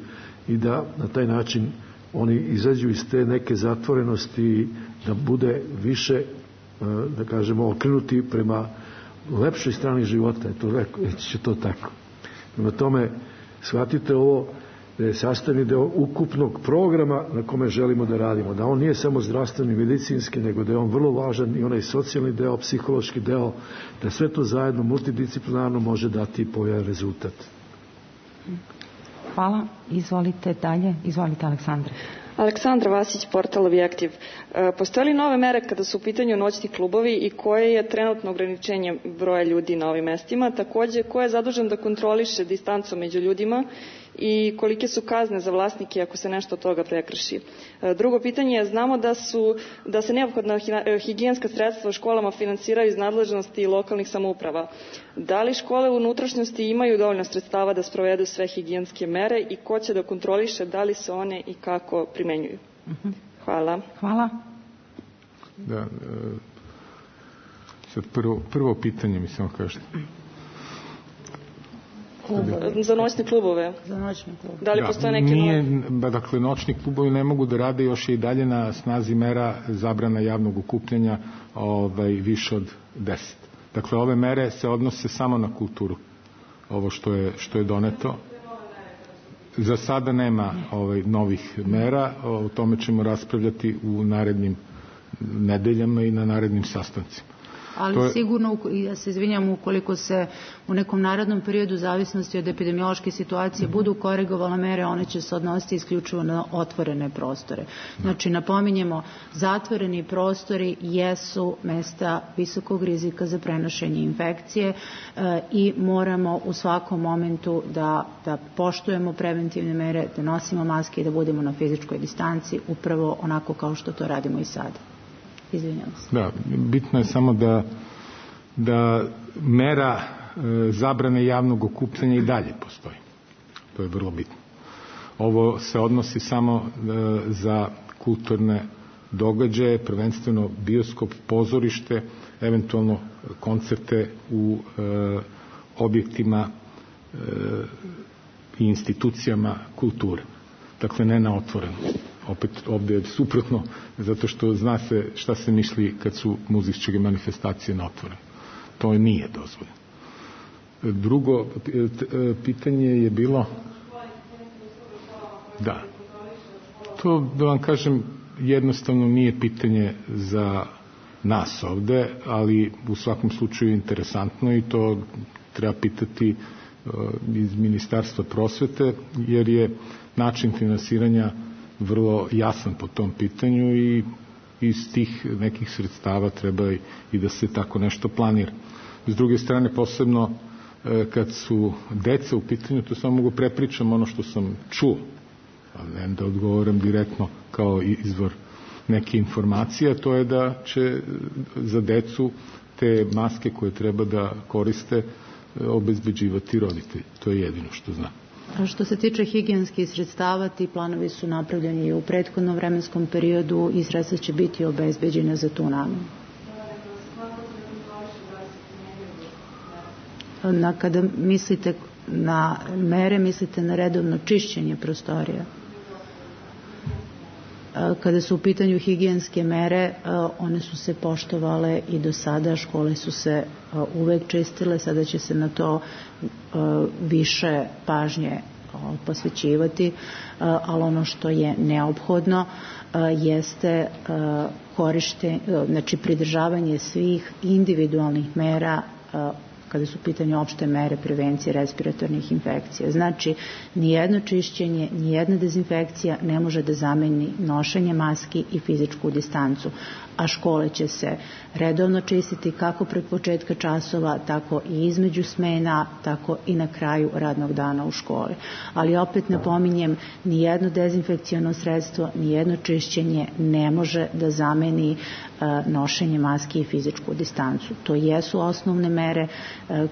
i da na taj način oni izađu iz te neke zatvorenosti, da bude više, da kažemo, okrenuti prema lepšoj strani života. To reći će to tako. Prema tome, shvatite ovo da je sastavni deo ukupnog programa na kome želimo da radimo. Da on nije samo zdravstveni, medicinski, nego da je on vrlo važan i onaj socijalni deo, psihološki deo, da sve to zajedno multidisciplinarno može dati povoljan rezultat. Hvala. Izvolite dalje. Izvolite, Aleksandra. Aleksandra Vasić, portal Objektiv. Postoje li nove mere kada su u pitanju noćni klubovi i koje je trenutno ograničenje broja ljudi na ovim mestima? Takođe, ko je zadužen da kontroliše distancu među ljudima i kolike su kazne za vlasnike ako se nešto od toga prekrši? Drugo pitanje je, znamo da, su, da se neophodna higijenska sredstva u školama finansiraju iz nadležnosti lokalnih samouprava. Da li škole u unutrašnjosti imaju dovoljno sredstava da sprovedu sve higijenske mere i ko će da kontroliše da li se one i kako primenjuju? Hvala. Hvala. Da, e, sad prvo, prvo pitanje mi samo kažete. Za noćne klubove. Za noćne klubove. Da li da, postoje neke nije, nove? Dakle, noćni klubovi ne mogu da rade, još je i dalje na snazi mera zabrana javnog okupljanja ovaj, više od deset. Dakle, ove mere se odnose samo na kulturu. Ovo što je, što je doneto. Za sada nema ovaj, novih mera, o tome ćemo raspravljati u narednim nedeljama i na narednim sastancima. Ali je... sigurno, ja se izvinjam, ukoliko se u nekom narednom periodu zavisnosti od epidemiološke situacije mm-hmm. budu korigovale mere, one će se odnositi isključivo na otvorene prostore. Znači, napominjemo, zatvoreni prostori jesu mesta visokog rizika za prenošenje infekcije e, i moramo u svakom momentu da, da poštujemo preventivne mere, da nosimo maske i da budemo na fizičkoj distanci, upravo onako kao što to radimo i sada. Izvinjam se. Da, bitno je samo da, da mera e, zabrane javnog okupljanja i dalje postoji. To je vrlo bitno. Ovo se odnosi samo e, za kulturne događaje, prvenstveno bioskop, pozorište, eventualno koncerte u e, objektima e, i institucijama kulture. Dakle, ne na otvoreno. Opet ovdje je suprotno, zato što zna se šta se misli kad su muzičke manifestacije na otvoreno. To nije dozvoljeno. Drugo pitanje je bilo... Da. To, da vam kažem, jednostavno nije pitanje za nas ovde, ali u svakom slučaju je interesantno i to treba pitati iz Ministarstva prosvete, jer je način finansiranja vrlo jasan po tom pitanju i iz tih nekih sredstava treba i da se tako nešto planira. S druge strane, posebno kad su deca u pitanju, to samo mogu prepričam ono što sam čuo, ali ne da odgovoram direktno kao izvor neke informacije, to je da će za decu te maske koje treba da koriste obezbeđivati roditelji. To je jedino što znam. A što se tiče higijenskih sredstava, ti planovi su napravljeni i u prethodnom vremenskom periodu i sredstva će biti obezbeđena za tu namenu. Na, kada mislite na mere, mislite na redovno čišćenje prostorija. Kada su u pitanju higijenske mere, one su se poštovale i do sada, škole su se uvek čistile, sada će se na to više pažnje posvećivati, ali ono što je neophodno jeste korištenje, znači pridržavanje svih individualnih mera kada su u pitanju opšte mere prevencije respiratornih infekcija. Znači, nijedno čišćenje, nijedna dezinfekcija ne može da zameni nošenje maski i fizičku distancu, a škole će se redovno čistiti kako pred početka časova, tako i između smena, tako i na kraju radnog dana u školi. Ali opet napominjem, nijedno dezinfekciono sredstvo, nijedno čišćenje ne može da zameni nošenje maski i fizičku distancu. To jesu osnovne mere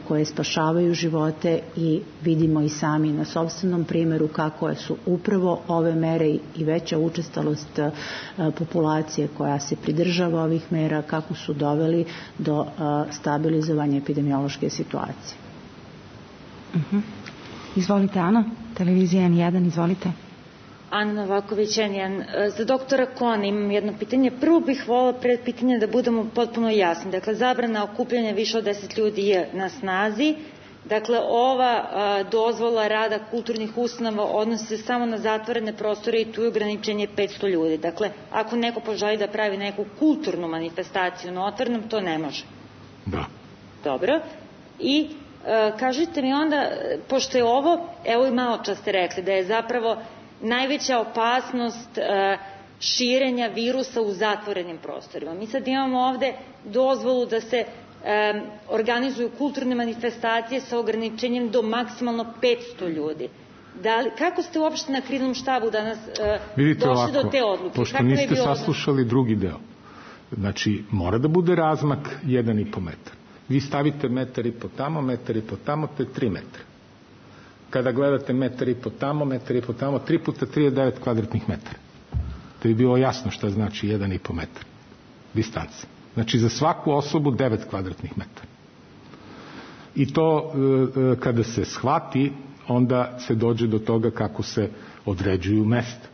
koje spašavaju živote i vidimo i sami na sopstvenom primjeru kako su upravo ove mere i veća učestalost populacije koja se pridržava ovih mera, kako su doveli do stabilizovanja epidemiološke situacije. Uh-huh. Izvolite, Ana, televizija en jedan, izvolite. Ana Novaković, en jedan. Za doktora Kona imam jedno pitanje. Prvo bih volila pred pitanje da budemo potpuno jasni. Dakle, zabrana okupljanja više od deset ljudi je na snazi. Dakle, ova a, dozvola rada kulturnih ustanova odnosi se samo na zatvorene prostore i tu je ograničenje petsto ljudi. Dakle, ako neko poželi da pravi neku kulturnu manifestaciju na otvorenom, to ne može. Da. Dobro. I a, kažite mi onda, pošto je ovo, evo i malo čas ste rekli, da je zapravo najveća opasnost e, širenja virusa u zatvorenim prostorima. Mi sad imamo ovde dozvolu da se e, organizuju kulturne manifestacije sa ograničenjem do maksimalno petsto ljudi. Da li, kako ste uopšte na kriznom štabu danas e, Vidite došli ovako, do te odluke? Pošto kako niste je saslušali drugi deo. Znači, mora da bude razmak jedan i po metar. Vi stavite metar i po tamo, metar i po tamo, to je tri metra. Kada gledate metar i po tamo, metar i po tamo, tri puta tri je devet kvadratnih metara. To bi bilo jasno šta znači jedan i po metar distanca. Znači za svaku osobu devet kvadratnih metara. I to e, kada se shvati, onda se dođe do toga kako se određuju mesta.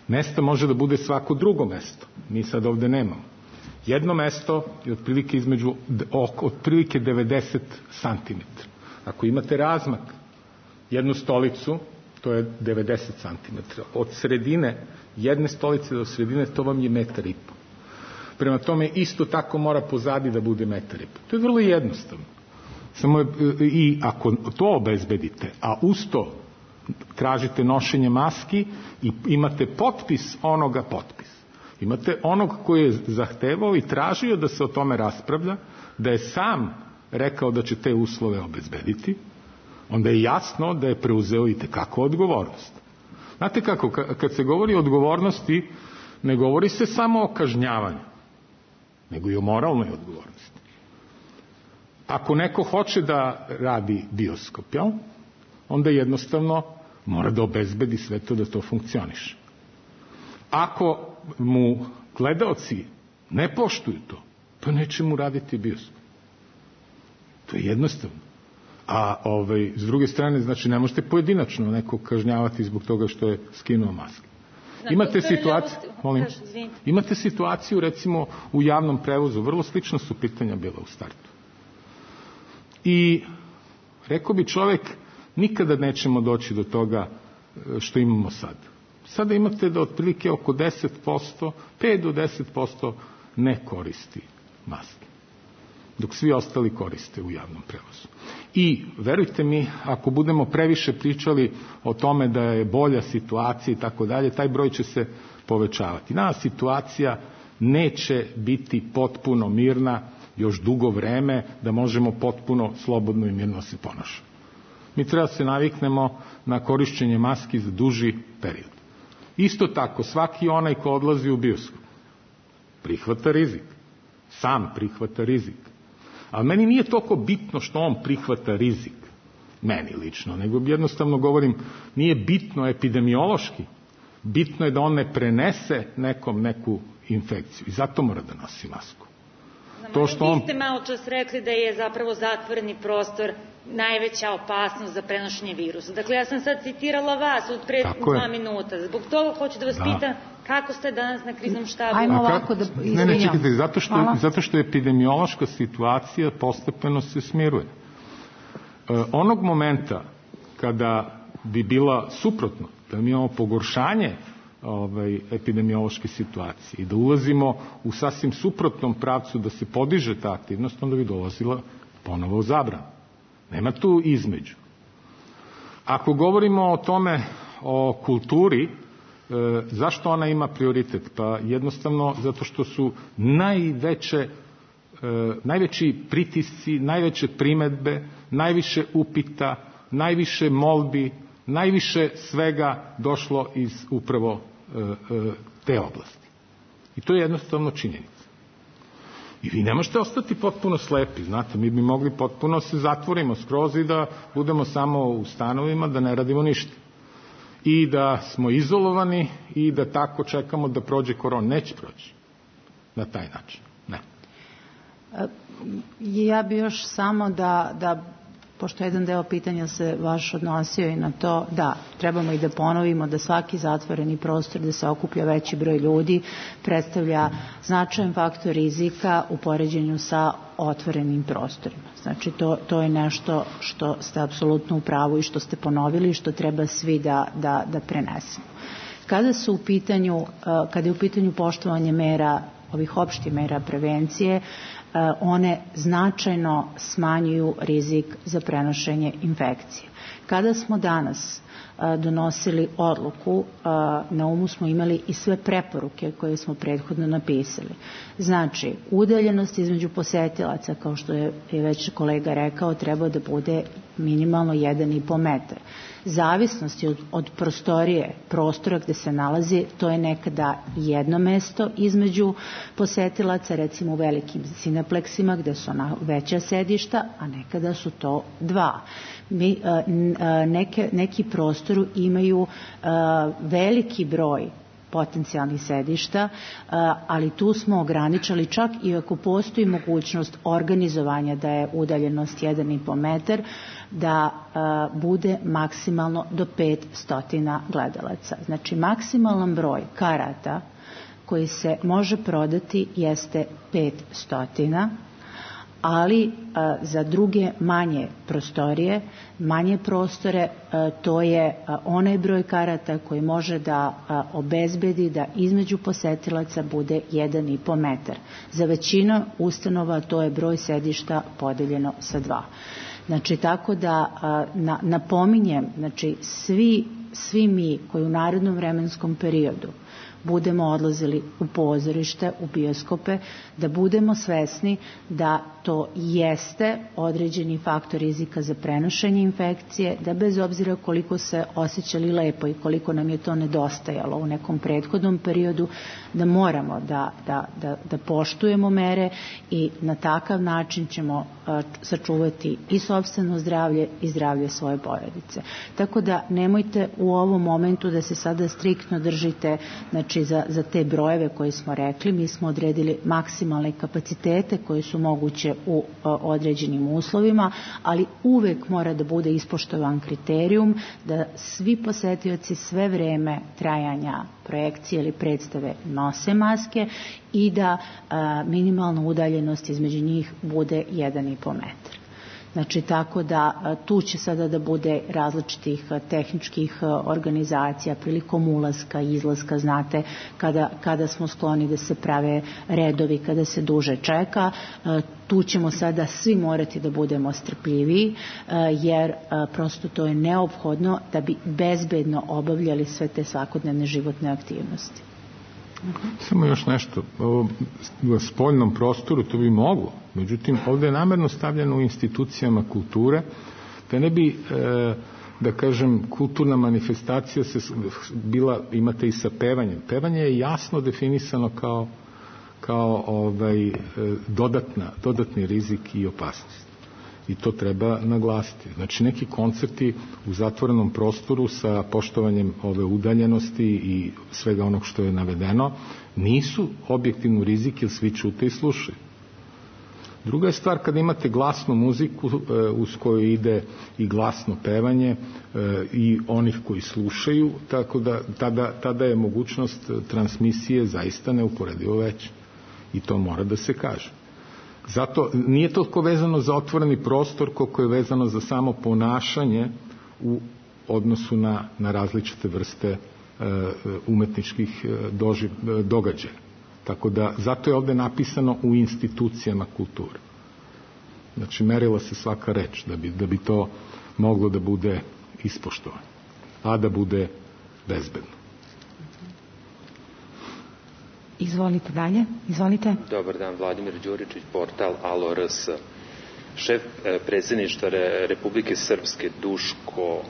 Mesta može da bude svako drugo mesto. Mi sad ovde nemamo. Jedno mesto je otprilike između, otprilike devedeset santimetara. Ako imate razmak, jednu stolicu, to je devedeset santimetara. Od sredine, jedne stolice do sredine, to vam je metar i po. Prema tome, isto tako mora pozadi da bude metar i po. To je vrlo jednostavno. Samo, i ako to obezbedite, a uz to tražite nošenje maski i imate potpis onoga potpis. Imate onog koji je zahtevao i tražio da se o tome raspravlja, da je sam rekao da će te uslove obezbediti, onda je jasno da je preuzeo i tekako odgovornost. Znate kako, kad se govori o odgovornosti, ne govori se samo o kažnjavanju, nego i o moralnoj odgovornosti. Ako neko hoće da radi bioskop, jel? Onda jednostavno mora da obezbedi sve to da to funkcioniše. Ako mu gledaoci ne poštuju to, pa neće mu raditi bioskop. To je jednostavno. A ovaj, s druge strane, znači, ne možete pojedinačno neko kažnjavati zbog toga što je skinuo maske. Imate situaciju, molim, imate situaciju, recimo, u javnom prevozu, vrlo slična su pitanja bila u startu. I rekao bi čovek, nikada nećemo doći do toga što imamo sad. Sada imate da otprilike oko deset posto, pet do deset posto ne koristi maske. dok svi ostali koriste u javnom prevozu. I verujte mi, ako budemo previše pričali o tome da je bolja situacija i tako dalje, taj broj će se povećavati. Danas situacija neće biti potpuno mirna još dugo vreme da možemo potpuno slobodno i mirno se ponašati. Mi treba se naviknemo na korišćenje maski za duži period. Isto tako, svaki onaj ko odlazi u bioskop prihvata rizik. Sam prihvata rizik. Ali meni nije toliko bitno što on prihvata rizik, meni lično, nego jednostavno govorim, nije bitno epidemiološki, bitno je da on ne prenese nekom neku infekciju i zato mora da nosi masku. To što on... Vi ste malo čas rekli da je zapravo zatvoreni prostor najveća opasnost za prenošenje virusa. Dakle, ja sam sad citirala vas od pre dva minuta. Zbog toga hoću da vas da. pitam kako ste danas na kriznom štabu. Ajmo ovako da izvinjam. Ne, ne, čekajte, zato što, zato što epidemiološka situacija postepeno se smiruje. E, onog momenta kada bi bila suprotno, da mi imamo pogoršanje ovaj, epidemiološke situacije i da ulazimo u sasvim suprotnom pravcu da se podiže ta aktivnost, onda bi dolazila ponovo u zabranu. Nema tu između. Ako govorimo o tome, o kulturi, e, zašto ona ima prioritet? Pa jednostavno zato što su najveće, e, najveći pritisci, najveće primedbe, najviše upita, najviše molbi, najviše svega došlo iz upravo e, e, te oblasti. I to je jednostavno činjenica. I vi ne možete ostati potpuno slepi, znate, mi bi mogli potpuno se zatvorimo skroz i da budemo samo u stanovima, da ne radimo ništa. I da smo izolovani i da tako čekamo da prođe korona. Neće proći na taj način. Ne. Ja bi još samo da, da pošto jedan deo pitanja se vaš odnosio i na to, da, trebamo i da ponovimo da svaki zatvoreni prostor gde se okuplja veći broj ljudi predstavlja značajan faktor rizika u poređenju sa otvorenim prostorima. Znači, to, to je nešto što ste apsolutno u pravu i što ste ponovili i što treba svi da, da, da prenesemo. Kada su u pitanju, kada je u pitanju poštovanje mera, ovih opštih mera prevencije, one značajno smanjuju rizik za prenošenje infekcije. Kada smo danas donosili odluku, na umu smo imali i sve preporuke koje smo prethodno napisali. Znači, udaljenost između posetilaca, kao što je već kolega rekao, treba da bude minimalno jedan i po metar. Zavisnosti od, od prostorije, prostora gde se nalazi, to je nekada jedno mesto između posetilaca, recimo u velikim sinepleksima gde su ona veća sedišta, a nekada su to dva. Mi, neke, neki prostoru imaju veliki broj potencijalnih sedišta, ali tu smo ograničili čak i ako postoji mogućnost organizovanja da je udaljenost jedan i po metar, da bude maksimalno do pet stotina gledalaca. Znači, maksimalan broj karata koji se može prodati jeste pet stotina, ali a, za druge manje prostorije, manje prostore, a, to je a, onaj broj karata koji može da a, obezbedi da između posetilaca bude jedan i po metar. Za većinu ustanova to je broj sedišta podeljeno sa dva. Znači, tako da a, na, napominjem, znači, svi, svi mi koji u narednom vremenskom periodu budemo odlazili u pozorište, u bioskope, da budemo svesni da to jeste određeni faktor rizika za prenošenje infekcije, da bez obzira koliko se osjećali lepo i koliko nam je to nedostajalo u nekom prethodnom periodu, da moramo da, da, da, da poštujemo mere i na takav način ćemo a, sačuvati i sopstveno zdravlje i zdravlje svoje porodice. Tako da nemojte u ovom momentu da se sada striktno držite, znači, za, za te brojeve koje smo rekli. Mi smo odredili maksimalne kapacitete koje su moguće u a, određenim uslovima, ali uvek mora da bude ispoštovan kriterijum da svi posetioci sve vreme trajanja projekcije ili predstave nose maske i da a, minimalna udaljenost između njih bude jedan i po metar. Znači, tako da tu će sada da bude različitih tehničkih organizacija prilikom ulaska i izlaska, znate, kada, kada smo skloni da se prave redovi, kada se duže čeka, tu ćemo sada svi morati da budemo strpljiviji, jer prosto to je neophodno da bi bezbedno obavljali sve te svakodnevne životne aktivnosti. Samo još nešto, u spoljnom prostoru to bi moglo, međutim ovdje je namerno stavljeno u institucijama kulture, da ne bi, da kažem, kulturna manifestacija se bila, imate i sa pevanjem. Pevanje je jasno definisano kao, kao ovaj, dodatna, dodatni rizik i opasnost. I to treba naglasiti. Znači, neki koncerti u zatvorenom prostoru sa poštovanjem ove udaljenosti i svega onog što je navedeno nisu objektivno rizik, jer svi čute i slušaju. Druga je stvar kada imate glasnu muziku e, uz koju ide i glasno pevanje e, i onih koji slušaju, tako da tada, tada je mogućnost transmisije zaista neuporedivo veća. I to mora da se kaže. Zato nije toliko vezano za otvoreni prostor koliko je vezano za samo ponašanje u odnosu na, na različite vrste e, umetničkih doži, događaja. Tako da zato je ovdje napisano u institucijama kulture. Znači merila se svaka reč da bi, da bi to moglo da bude ispoštovano, a da bude bezbedno. Izvolite dalje, izvolite. Dobar dan, Vladimir Đuričić, portal Alo R S. Šef predsjedništva Republike Srpske Duško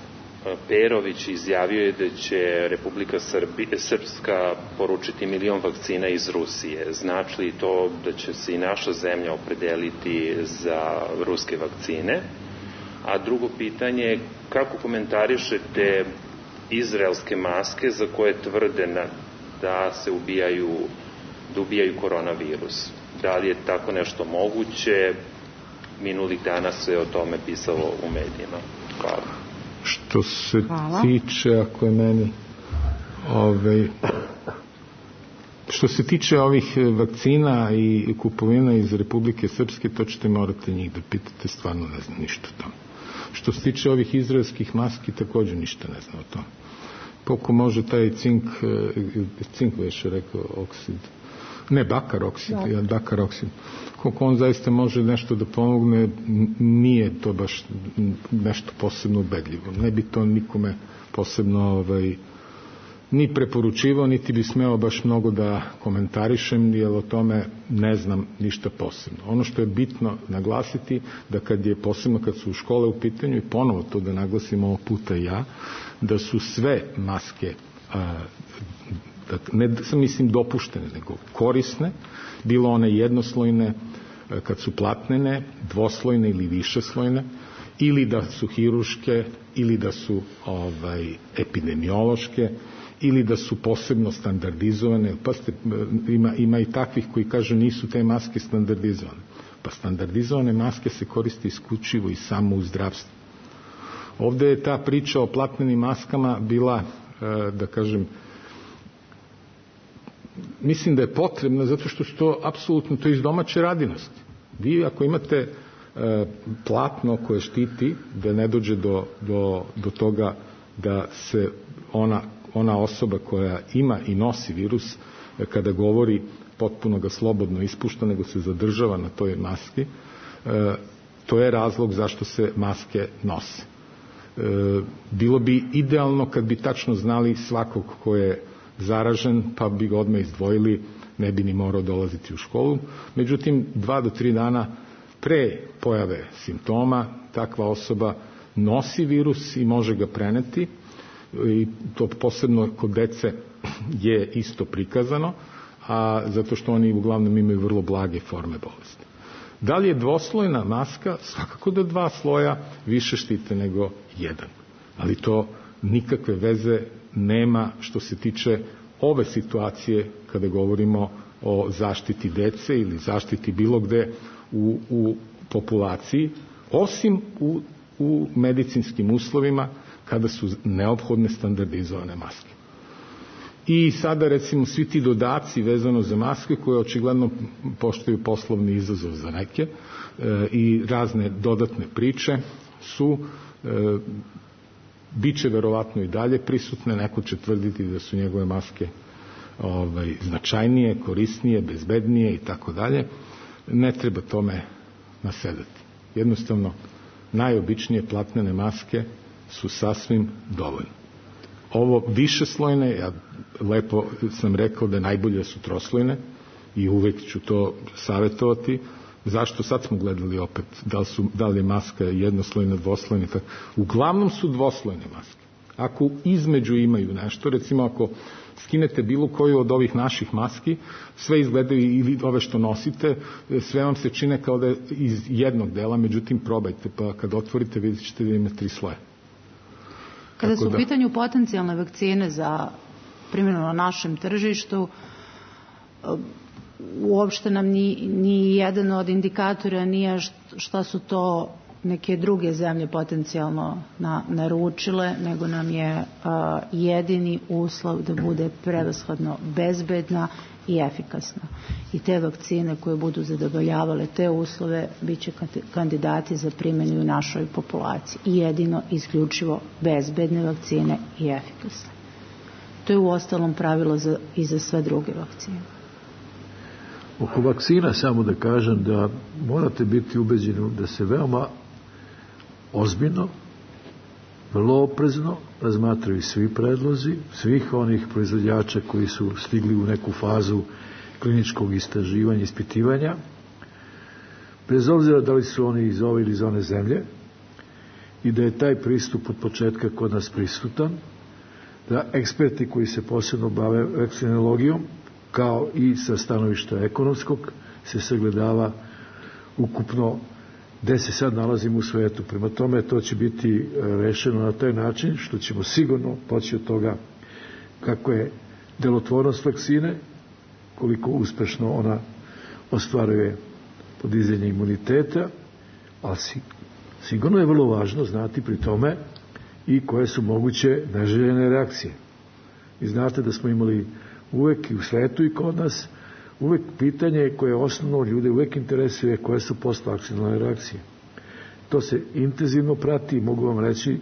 Perović izjavio je da će Republika Srbi, Srpska poručiti milion vakcina iz Rusije. Znači li to da će se i naša zemlja opredeliti za ruske vakcine? A drugo pitanje, kako komentarišete izraelske maske za koje tvrde na da se ubijaju, da ubijaju koronavirus? Da li je tako nešto moguće? Minulih dana se o tome pisalo u medijima. Hvala. Što se Hvala. tiče, ako je meni ovaj, što se tiče ovih vakcina i kupovina iz Republike Srpske, to ćete morate njih da pitate, stvarno ne znam ništa o tome. Što se tiče ovih izraelskih maski, također ništa ne znam o tome. Koliko može taj cink, cink već je rekao, oksid, ne, bakar oksid, ja, bakar oksid, koliko on zaista može nešto da pomogne, nije to baš nešto posebno ubedljivo. Ne bi to nikome posebno ovaj, ni preporučivao, niti bi smeo baš mnogo da komentarišem, jer o tome ne znam ništa posebno. Ono što je bitno naglasiti, da kad je posebno kad su u škole u pitanju, i ponovo to da naglasim ovog puta ja, da su sve maske a, da, ne sam mislim dopuštene, nego korisne, bilo one jednoslojne a, kad su platnene, dvoslojne ili višeslojne, ili da su hiruške, ili da su ovaj, epidemiološke, ili da su posebno standardizovane. Pa ste, ima, ima i takvih koji kažu nisu te maske standardizovane. Pa standardizovane maske se koriste isključivo i samo u zdravstvu. Ovdje je ta priča o platnenim maskama bila, da kažem, mislim da je potrebna zato što su to apsolutno to iz domaće radinosti. Vi ako imate platno koje štiti da ne dođe do, do, do toga da se ona, ona osoba koja ima i nosi virus kada govori potpuno ga slobodno ispušta, nego se zadržava na toj maski, to je razlog zašto se maske nose. Bilo bi idealno kad bi tačno znali svakog ko je zaražen, pa bi ga odmah izdvojili, ne bi ni morao dolaziti u školu. Međutim, dva do tri dana pre pojave simptoma takva osoba nosi virus i može ga preneti, i to posebno kod dece je isto prikazano, a zato što oni uglavnom imaju vrlo blage forme bolesti. Da li je dvoslojna maska? Svakako da dva sloja više štite nego jedan. Ali to nikakve veze nema što se tiče ove situacije kada govorimo o zaštiti dece ili zaštiti bilo gde u, u populaciji, osim u, u medicinskim uslovima kada su neophodne standardizovane maske. I sada recimo svi ti dodaci vezano za maske koje očigledno poštaju poslovni izazov za neke i razne dodatne priče su biće verovatno i dalje prisutne, neko će tvrditi da su njegove maske ovaj, značajnije, korisnije, bezbednije i tako dalje. Ne treba tome nasedati. Jednostavno, najobičnije platnene maske su sasvim dovoljne. Ovo višeslojne, ja lepo sam rekao da najbolje su troslojne i uvek ću to savjetovati. Zašto? Sad smo gledali opet da li, su, da li je maska jednoslojna, dvoslojna. Uglavnom su dvoslojne maske. Ako između imaju nešto, recimo ako skinete bilo koju od ovih naših maski, sve izgledaju, ili ove što nosite, sve vam se čine kao da je iz jednog dela, međutim probajte, pa kad otvorite vidjet ćete da ima tri sloja. Kada su u pitanju potencijalne vakcine za primjenu na našem tržištu, uopšte nam ni, ni jedan od indikatora nije šta su to neke druge zemlje potencijalno na, naručile, nego nam je a, jedini uslov da bude prevashodno bezbedna i efikasna. I te vakcine koje budu zadovoljavale te uslove bit će kandidati za primjenu u našoj populaciji. I jedino, isključivo bezbedne vakcine i efikasne. To je u ostalom pravilo za, i za sve druge vakcine. Oko vakcina samo da kažem da morate biti ubeđeni da se veoma ozbiljno, vrlo oprezno razmatraju svi predlozi, svih onih proizvođača koji su stigli u neku fazu kliničkog istraživanja, ispitivanja, bez obzira da li su oni iz ove ili iz one zemlje, i da je taj pristup od početka kod nas prisutan, da eksperti koji se posebno bave vakcinologijom, kao i sa stanovišta ekonomskog, se sagledava ukupno gde se sad nalazimo u svetu. Prema tome, to će biti rešeno na taj način što ćemo sigurno poći od toga kako je delotvornost vakcine, koliko uspešno ona ostvaruje podizanje imuniteta, ali sigurno je vrlo važno znati pri tome i koje su moguće neželjene reakcije. I znate da smo imali uvek i u svetu i kod nas uvek pitanje koje osnovno ljude uvek interesuje koje su postvakcinalne reakcije. To se intenzivno prati i mogu vam reći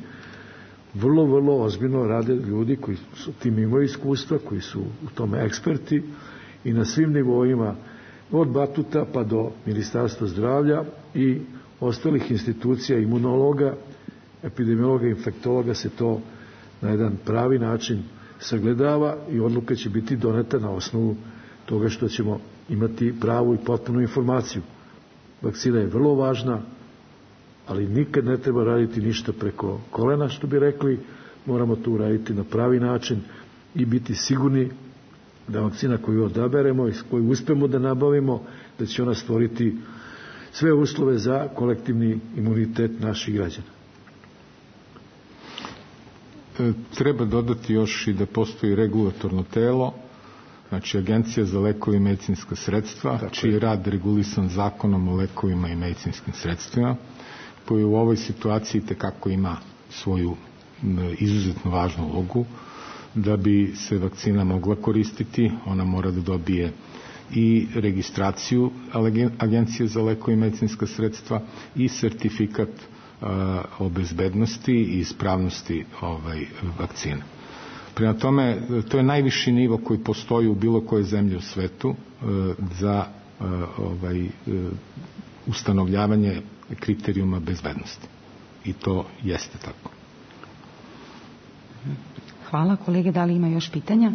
vrlo, vrlo ozbiljno rade ljudi koji su tim imaju iskustva, koji su u tome eksperti i na svim nivoima od Batuta pa do Ministarstva zdravlja i ostalih institucija, imunologa, epidemiologa, infektologa se to na jedan pravi način sagledava i odluka će biti doneta na osnovu toga što ćemo imati pravu i potpunu informaciju. Vakcina je vrlo važna, ali nikad ne treba raditi ništa preko kolena, što bi rekli. Moramo to uraditi na pravi način i biti sigurni da vakcina koju odaberemo i koju uspemo da nabavimo, da će ona stvoriti sve uslove za kolektivni imunitet naših građana. Treba dodati još i da postoji regulatorno telo, znači Agencija za lekove i medicinska sredstva, tako čiji je rad regulisan zakonom o lekovima i medicinskim sredstvima, koji u ovoj situaciji tekako ima svoju izuzetno važnu ulogu. Da bi se vakcina mogla koristiti, ona mora da dobije i registraciju Agencije za lekove i medicinska sredstva i sertifikat o bezbednosti i ispravnosti ovaj, vakcine. Prema tome, to je najviši nivo koji postoji u bilo kojoj zemlji u svetu za ovaj, ustanovljavanje kriterijuma bezbednosti. I to jeste tako. Hvala. Kolege, da li ima još pitanja?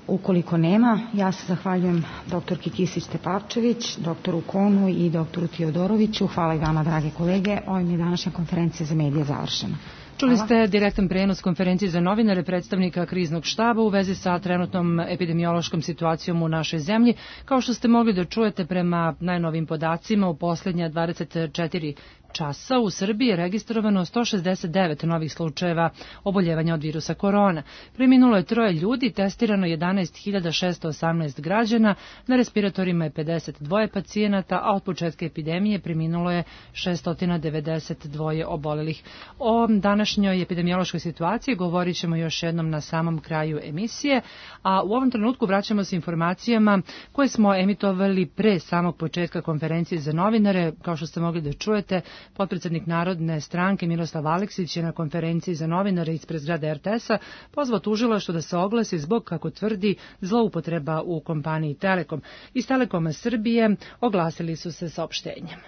Ukoliko nema, ja se zahvaljujem doktorki Kisić-Tepavčević, doktoru Konu i doktoru Tiodoroviću. Hvala i vama, drage kolege. Ovim je današnja konferencija za medije završena. Čuli ste direktan prenos konferencije za novinare predstavnika kriznog štaba u vezi sa trenutnom epidemiološkom situacijom u našoj zemlji. Kao što ste mogli da čujete prema najnovim podacima, u poslednja dvadeset četiri časa u Srbiji je registrovano sto šezdeset devet novih slučajeva oboljevanja od virusa korona. Preminulo je troje ljudi, testirano jedanaest hiljada šesto osamnaest građana, na respiratorima je pedeset dva pacijenata, a od početka epidemije preminulo je šesto devedeset dva obolelih. O današnjoj epidemiološkoj situaciji govorit ćemo još jednom na samom kraju emisije, a u ovom trenutku vraćamo se informacijama koje smo emitovali pre samog početka konferencije za novinare. Kao što ste mogli da čujete, potpredsednik Narodne stranke Miroslav Aleksić je na konferenciji za novinare ispred zgrade er te es-a pozvao tužilaštvo da se oglasi zbog, kako tvrdi, zloupotreba u kompaniji Telekom. Iz Telekoma Srbije oglasili su se saopštenjem.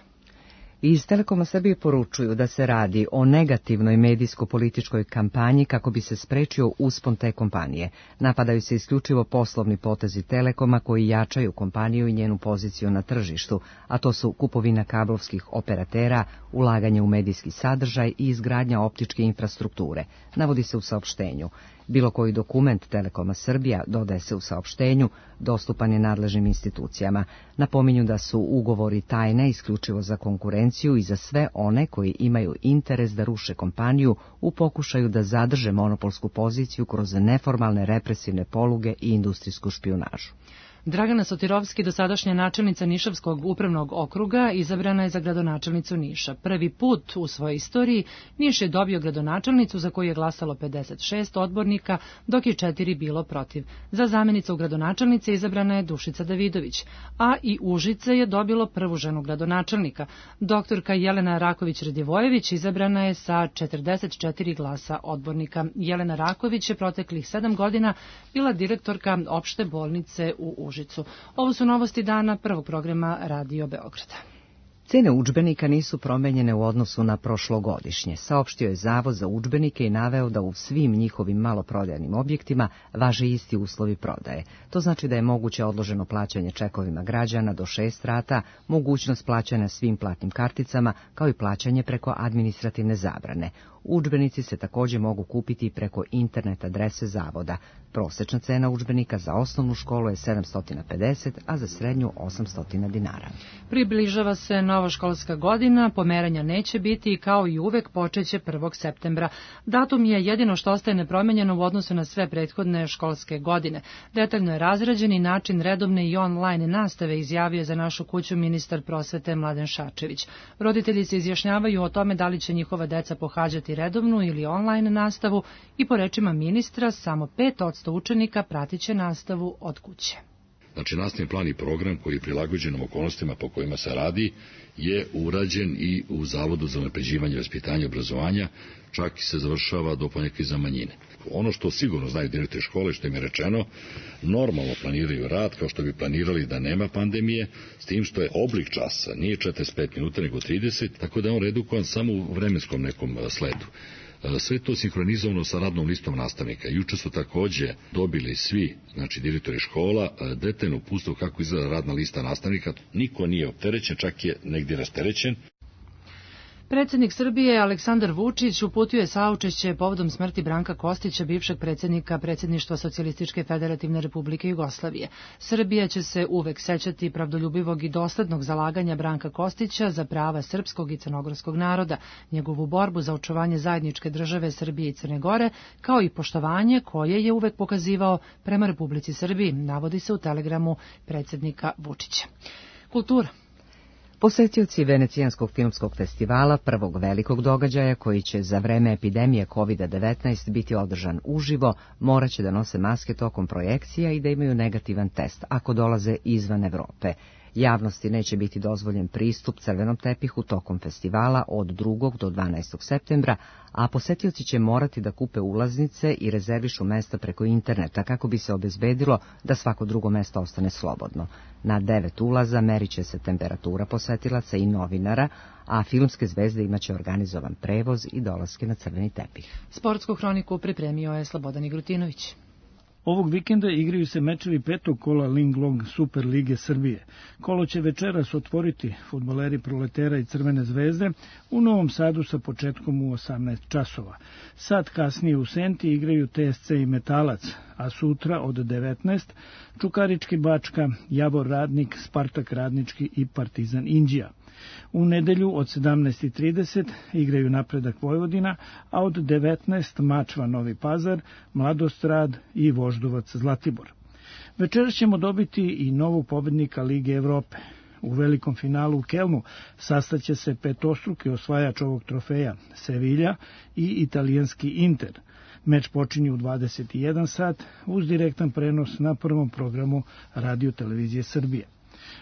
Iz Telekoma Srbije poručuju da se radi o negativnoj medijsko-političkoj kampanji kako bi se sprečio uspon te kompanije. Napadaju se isključivo poslovni potezi Telekoma koji jačaju kompaniju i njenu poziciju na tržištu, a to su kupovina kablovskih operatera, ulaganje u medijski sadržaj i izgradnja optičke infrastrukture, navodi se u saopštenju. Bilo koji dokument Telekoma Srbija, dodaje se u saopštenju, dostupan je nadležnim institucijama. Napominju da su ugovori tajne isključivo za konkurenciju i za sve one koji imaju interes da ruše kompaniju u pokušaju da zadrže monopolsku poziciju kroz neformalne represivne poluge i industrijsku špijunažu. Dragana Sotirovski, dosadašnja načelnica Nišavskog upravnog okruga, izabrana je za gradonačelnicu Niša. Prvi put u svojoj istoriji Niš je dobio gradonačelnicu za koju je glasalo pedeset šest odbornika, dok je četiri bilo protiv. Za zamenicu gradonačelnice izabrana je Dušica Davidović, a i Užice je dobilo prvu ženu gradonačelnika. Doktorka Jelena Raković-Radivojević izabrana je sa četrdeset četiri glasa odbornika. Jelena Raković je proteklih sedam godina bila direktorka opšte bolnice u Užicu. Ovo su novosti dana prvog programa Radio Beograda. Cene udžbenika nisu promenjene u odnosu na prošlogodišnje, saopštio je Zavod za udžbenike i naveo da u svim njihovim maloprodajnim objektima važe isti uslovi prodaje. To znači da je moguće odloženo plaćanje čekovima građana do šest rata, mogućnost plaćanja svim platnim karticama, kao i plaćanje preko administrativne zabrane. Udžbenici se također mogu kupiti preko internet adrese Zavoda. Prosečna cena udžbenika za osnovnu školu je sedamsto pedeset, a za srednju osamsto dinara. Približava se nova školska godina, pomeranja neće biti i kao i uvek počeće prvog septembra. Datum je jedino što ostaje nepromenjeno u odnosu na sve prethodne školske godine. Detaljno je razrađen i način redovne i online nastave, izjavio za Našu kuću ministar prosvete Mladen Šarčević. Roditelji se izjašnjavaju o tome da li će njihova deca pohađati redovnu ili online nastavu i po rečima ministra samo pet odsto učenika pratit će nastavu od kuće. Znači, nastavni plan i program koji je prilagođen okolnostima po kojima se radi je urađen i u Zavodu za unapređivanje vaspitanja i obrazovanja, čak i se završava do ponekih za manjine. Ono što sigurno znaju direktori škole, što im je rečeno, normalno planiraju rad kao što bi planirali da nema pandemije, s tim što je oblik časa nije četrdeset pet minuta nego trideset, tako da je on redukovan samo u vremenskom nekom sledu. Sve to sinhronizovano sa radnom listom nastavnika. Juče su takođe dobili svi, znači direktori škola, detaljno uputstvo kako izgleda radna lista nastavnika. Niko nije opterećen, čak je negdje rasterećen. Predsjednik Srbije Aleksandar Vučić uputio je saučešće povodom smrti Branka Kostića, bivšeg predsjednika predsjedništva Socijalističke federativne republike Jugoslavije. Srbija će se uvek sećati pravdoljubivog i doslednog zalaganja Branka Kostića za prava srpskog i crnogorskog naroda, njegovu borbu za očuvanje zajedničke države Srbije i Crne Gore, kao i poštovanje koje je uvek pokazivao prema Republici Srbiji, navodi se u telegramu predsjednika Vučića. Kultura. Posetioci Venecijanskog filmskog festivala, prvog velikog događaja koji će za vreme epidemije kovid devetnaest biti održan uživo, moraće da nose maske tokom projekcija i da imaju negativan test ako dolaze izvan Evrope. Javnosti neće biti dozvoljen pristup crvenom tepihu tokom festivala od drugog do dvanaestog septembra, a posetioci će morati da kupe ulaznice i rezervišu mesta preko interneta kako bi se obezbedilo da svako drugo mesto ostane slobodno. Na devet ulaza merit će se temperatura posetilaca i novinara, a filmske zvezde imaće organizovan prevoz i dolaske na crveni tepih. Sportsku hroniku pripremio je Slobodan Igrutinović. Ovog vikenda igraju se mečevi petog kola Linglong Super Lige Srbije. Kolo će večeras otvoriti fudbaleri Proletera i Crvene zvezde u Novom Sadu sa početkom u osamnaest časova. Sad kasnije u Senti igraju T S C i Metalac, a sutra od devetnaest Čukarički Bačka, Javor Radnik, Spartak Radnički i Partizan Inđija. U nedelju od sedamnaest i trideset igraju Napredak Vojvodina, a od devetnaest Mačva Novi Pazar, Mladostrad i Voždovac Zlatibor. Večeras ćemo dobiti i novog pobednika Lige Evrope. U velikom finalu u Kelnu sastaće se petostruki osvajač ovog trofeja, Sevilla i italijanski Inter. Meč počinje u dvadeset i jedan sat uz direktan prenos na prvom programu Radio Televizije Srbije.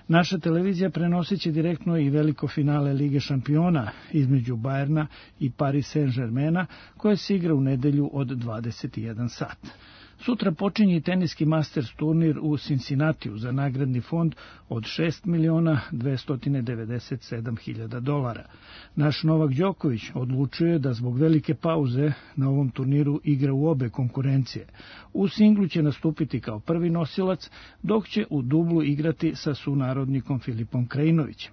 Naša televizija prenosit će direktno i veliko finale Lige šampiona između Bajerna i Paris Saint-Germaina, koje se igra u nedelju od dvadeset i jedan sat. Sutra počinje i teniski Masters turnir u Cincinnatiju za nagradni fond od šest miliona dvesta devedeset sedam hiljada dolara. Naš Novak Đoković odlučuje da zbog velike pauze na ovom turniru igra u obe konkurencije. U singlu će nastupiti kao prvi nosilac, dok će u dublu igrati sa sunarodnikom Filipom Krajinovićem.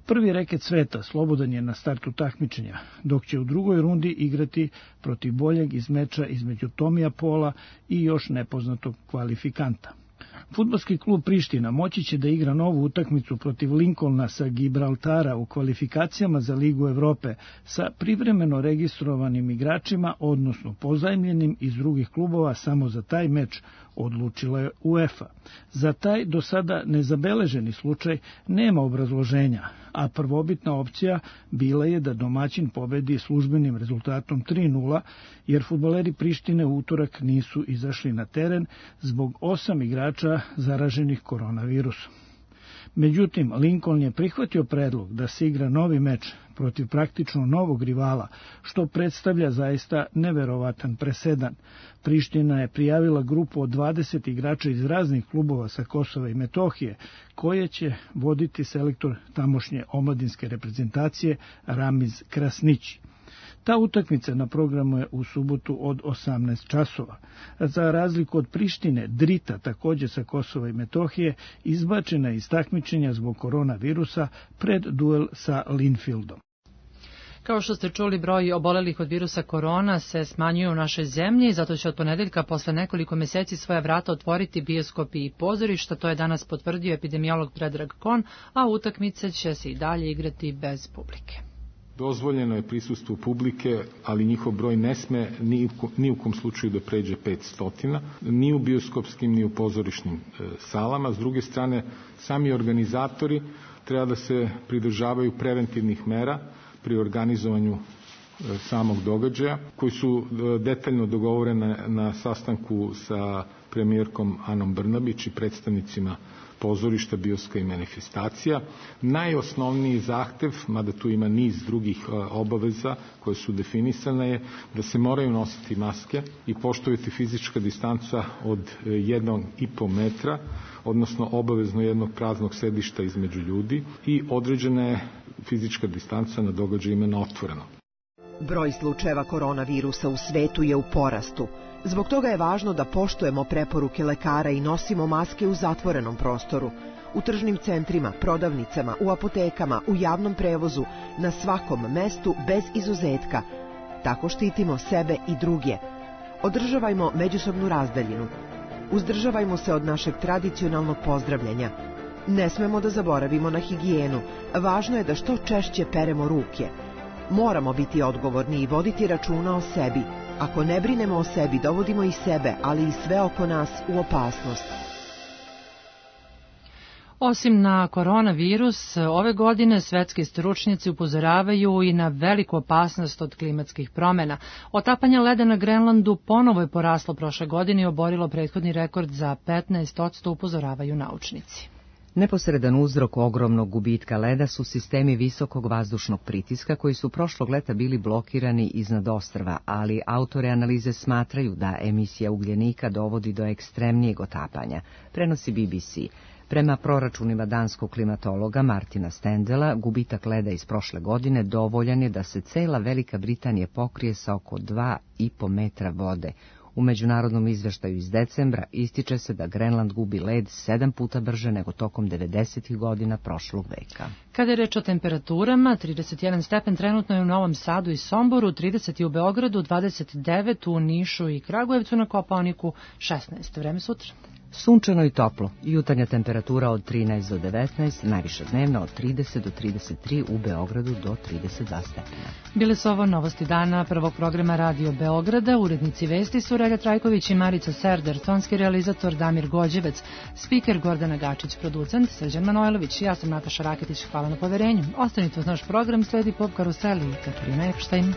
Prvi reket sveta slobodan je na startu takmičenja, dok će u drugoj rundi igrati protiv boljeg iz meča između Tomija Pola i još nepoznatog kvalifikanta. Fudbalski klub Priština moći će da igra novu utakmicu protiv Lincolna sa Gibraltara u kvalifikacijama za Ligu Evrope sa privremeno registrovanim igračima, odnosno pozajmljenim iz drugih klubova. Samo za taj meč odlučila je UEFA. Za taj do sada nezabeleženi slučaj nema obrazloženja, a prvobitna opcija bila je da domaćin pobedi službenim rezultatom tri nula, jer fudbaleri Prištine u utorak nisu izašli na teren zbog osam igrača zaraženih koronavirusom. Međutim, Lincoln je prihvatio predlog da se igra novi meč protiv praktično novog rivala, što predstavlja zaista neverovatan presedan. Priština je prijavila grupu od dvadeset igrača iz raznih klubova sa Kosova i Metohije, koje će voditi selektor tamošnje omladinske reprezentacije Ramiz Krasnići. Ta utakmica na programu je u subotu od osamnaest časova. Za razliku od Prištine, Drita, također sa Kosova i Metohije, izbačena je iz takmičenja zbog koronavirusa pred duel sa Linfieldom. Kao što ste čuli, broj obolelih od virusa korona se smanjuje u našoj zemlji, zato će od ponedeljka posle nekoliko meseci svoja vrata otvoriti bioskopi i pozorišta. To je danas potvrdio epidemiolog Predrag Kon, a utakmice će se i dalje igrati bez publike. Dozvoljeno je prisustvo publike, ali njihov broj ne sme ni, ni u kom slučaju da pređe petsto, ni u bioskopskim, ni u pozorišnim e, salama. S druge strane, sami organizatori treba da se pridržavaju preventivnih mera pri organizovanju e, samog događaja, koji su e, detaljno dogovorene na sastanku sa premijerkom Anom Brnabić i predstavnicima pozorišta, bioska i manifestacija. Najosnovniji zahtev, mada tu ima niz drugih obaveza koje su definisane, je da se moraju nositi maske i poštovati fizička distanca od jednog i po metra, odnosno obavezno jednog praznog sedišta između ljudi i određena je fizička distanca na događajima na otvoreno. Broj slučajeva koronavirusa u svetu je u porastu. Zbog toga je važno da poštujemo preporuke lekara i nosimo maske u zatvorenom prostoru, u tržnim centrima, prodavnicama, u apotekama, u javnom prevozu, na svakom mestu bez izuzetka. Tako štitimo sebe i druge. Održavajmo međusobnu razdaljinu. Uzdržavajmo se od našeg tradicionalnog pozdravljanja. Ne smemo da zaboravimo na higijenu. Važno je da što češće peremo ruke. Moramo biti odgovorni i voditi računa o sebi. Ako ne brinemo o sebi, dovodimo i sebe, ali i sve oko nas u opasnost. Osim na koronavirus, ove godine svetski stručnjaci upozoravaju i na veliku opasnost od klimatskih promjena. Otapanje leda na Grenlandu ponovo je poraslo prošle godine i oborilo prethodni rekord za petnaest posto, upozoravaju naučnici. Neposredan uzrok ogromnog gubitka leda su sistemi visokog vazdušnog pritiska koji su prošlog leta bili blokirani iznad ostrva, ali autori analize smatraju da emisija ugljenika dovodi do ekstremnijeg otapanja, prenosi B B C. Prema proračunima danskog klimatologa Martina Stendela, gubitak leda iz prošle godine dovoljan je da se cela Velika Britanija pokrije sa oko dva i po metra vode. U međunarodnom izveštaju iz decembra ističe se da Grenland gubi led sedam puta brže nego tokom devedesetih godina prošlog veka. Kada je reč o temperaturama, trideset jedan stepen trenutno je u Novom Sadu i Somboru, trideset u Beogradu, dvadeset devet u Nišu i Kragujevcu, na Kopaoniku šesnaest. Vreme sutra. Sunčano i toplo, jutarnja temperatura od trinaest do devetnaest, najviša dnevna od trideset do trideset tri, u Beogradu do trideset dva stepena. Bile su ovo novosti dana prvog programa Radio Beograda, urednici vesti su Relja Trajković i Marica Serder, tonski realizator Damir Gođevec, spiker Gordana Gačić, producent Srđan Manojlović, ja sam Nataša Raketić, hvala na poverenju. Ostanite uz naš program, sledi Pop Karuseli i Katarina Epštajn.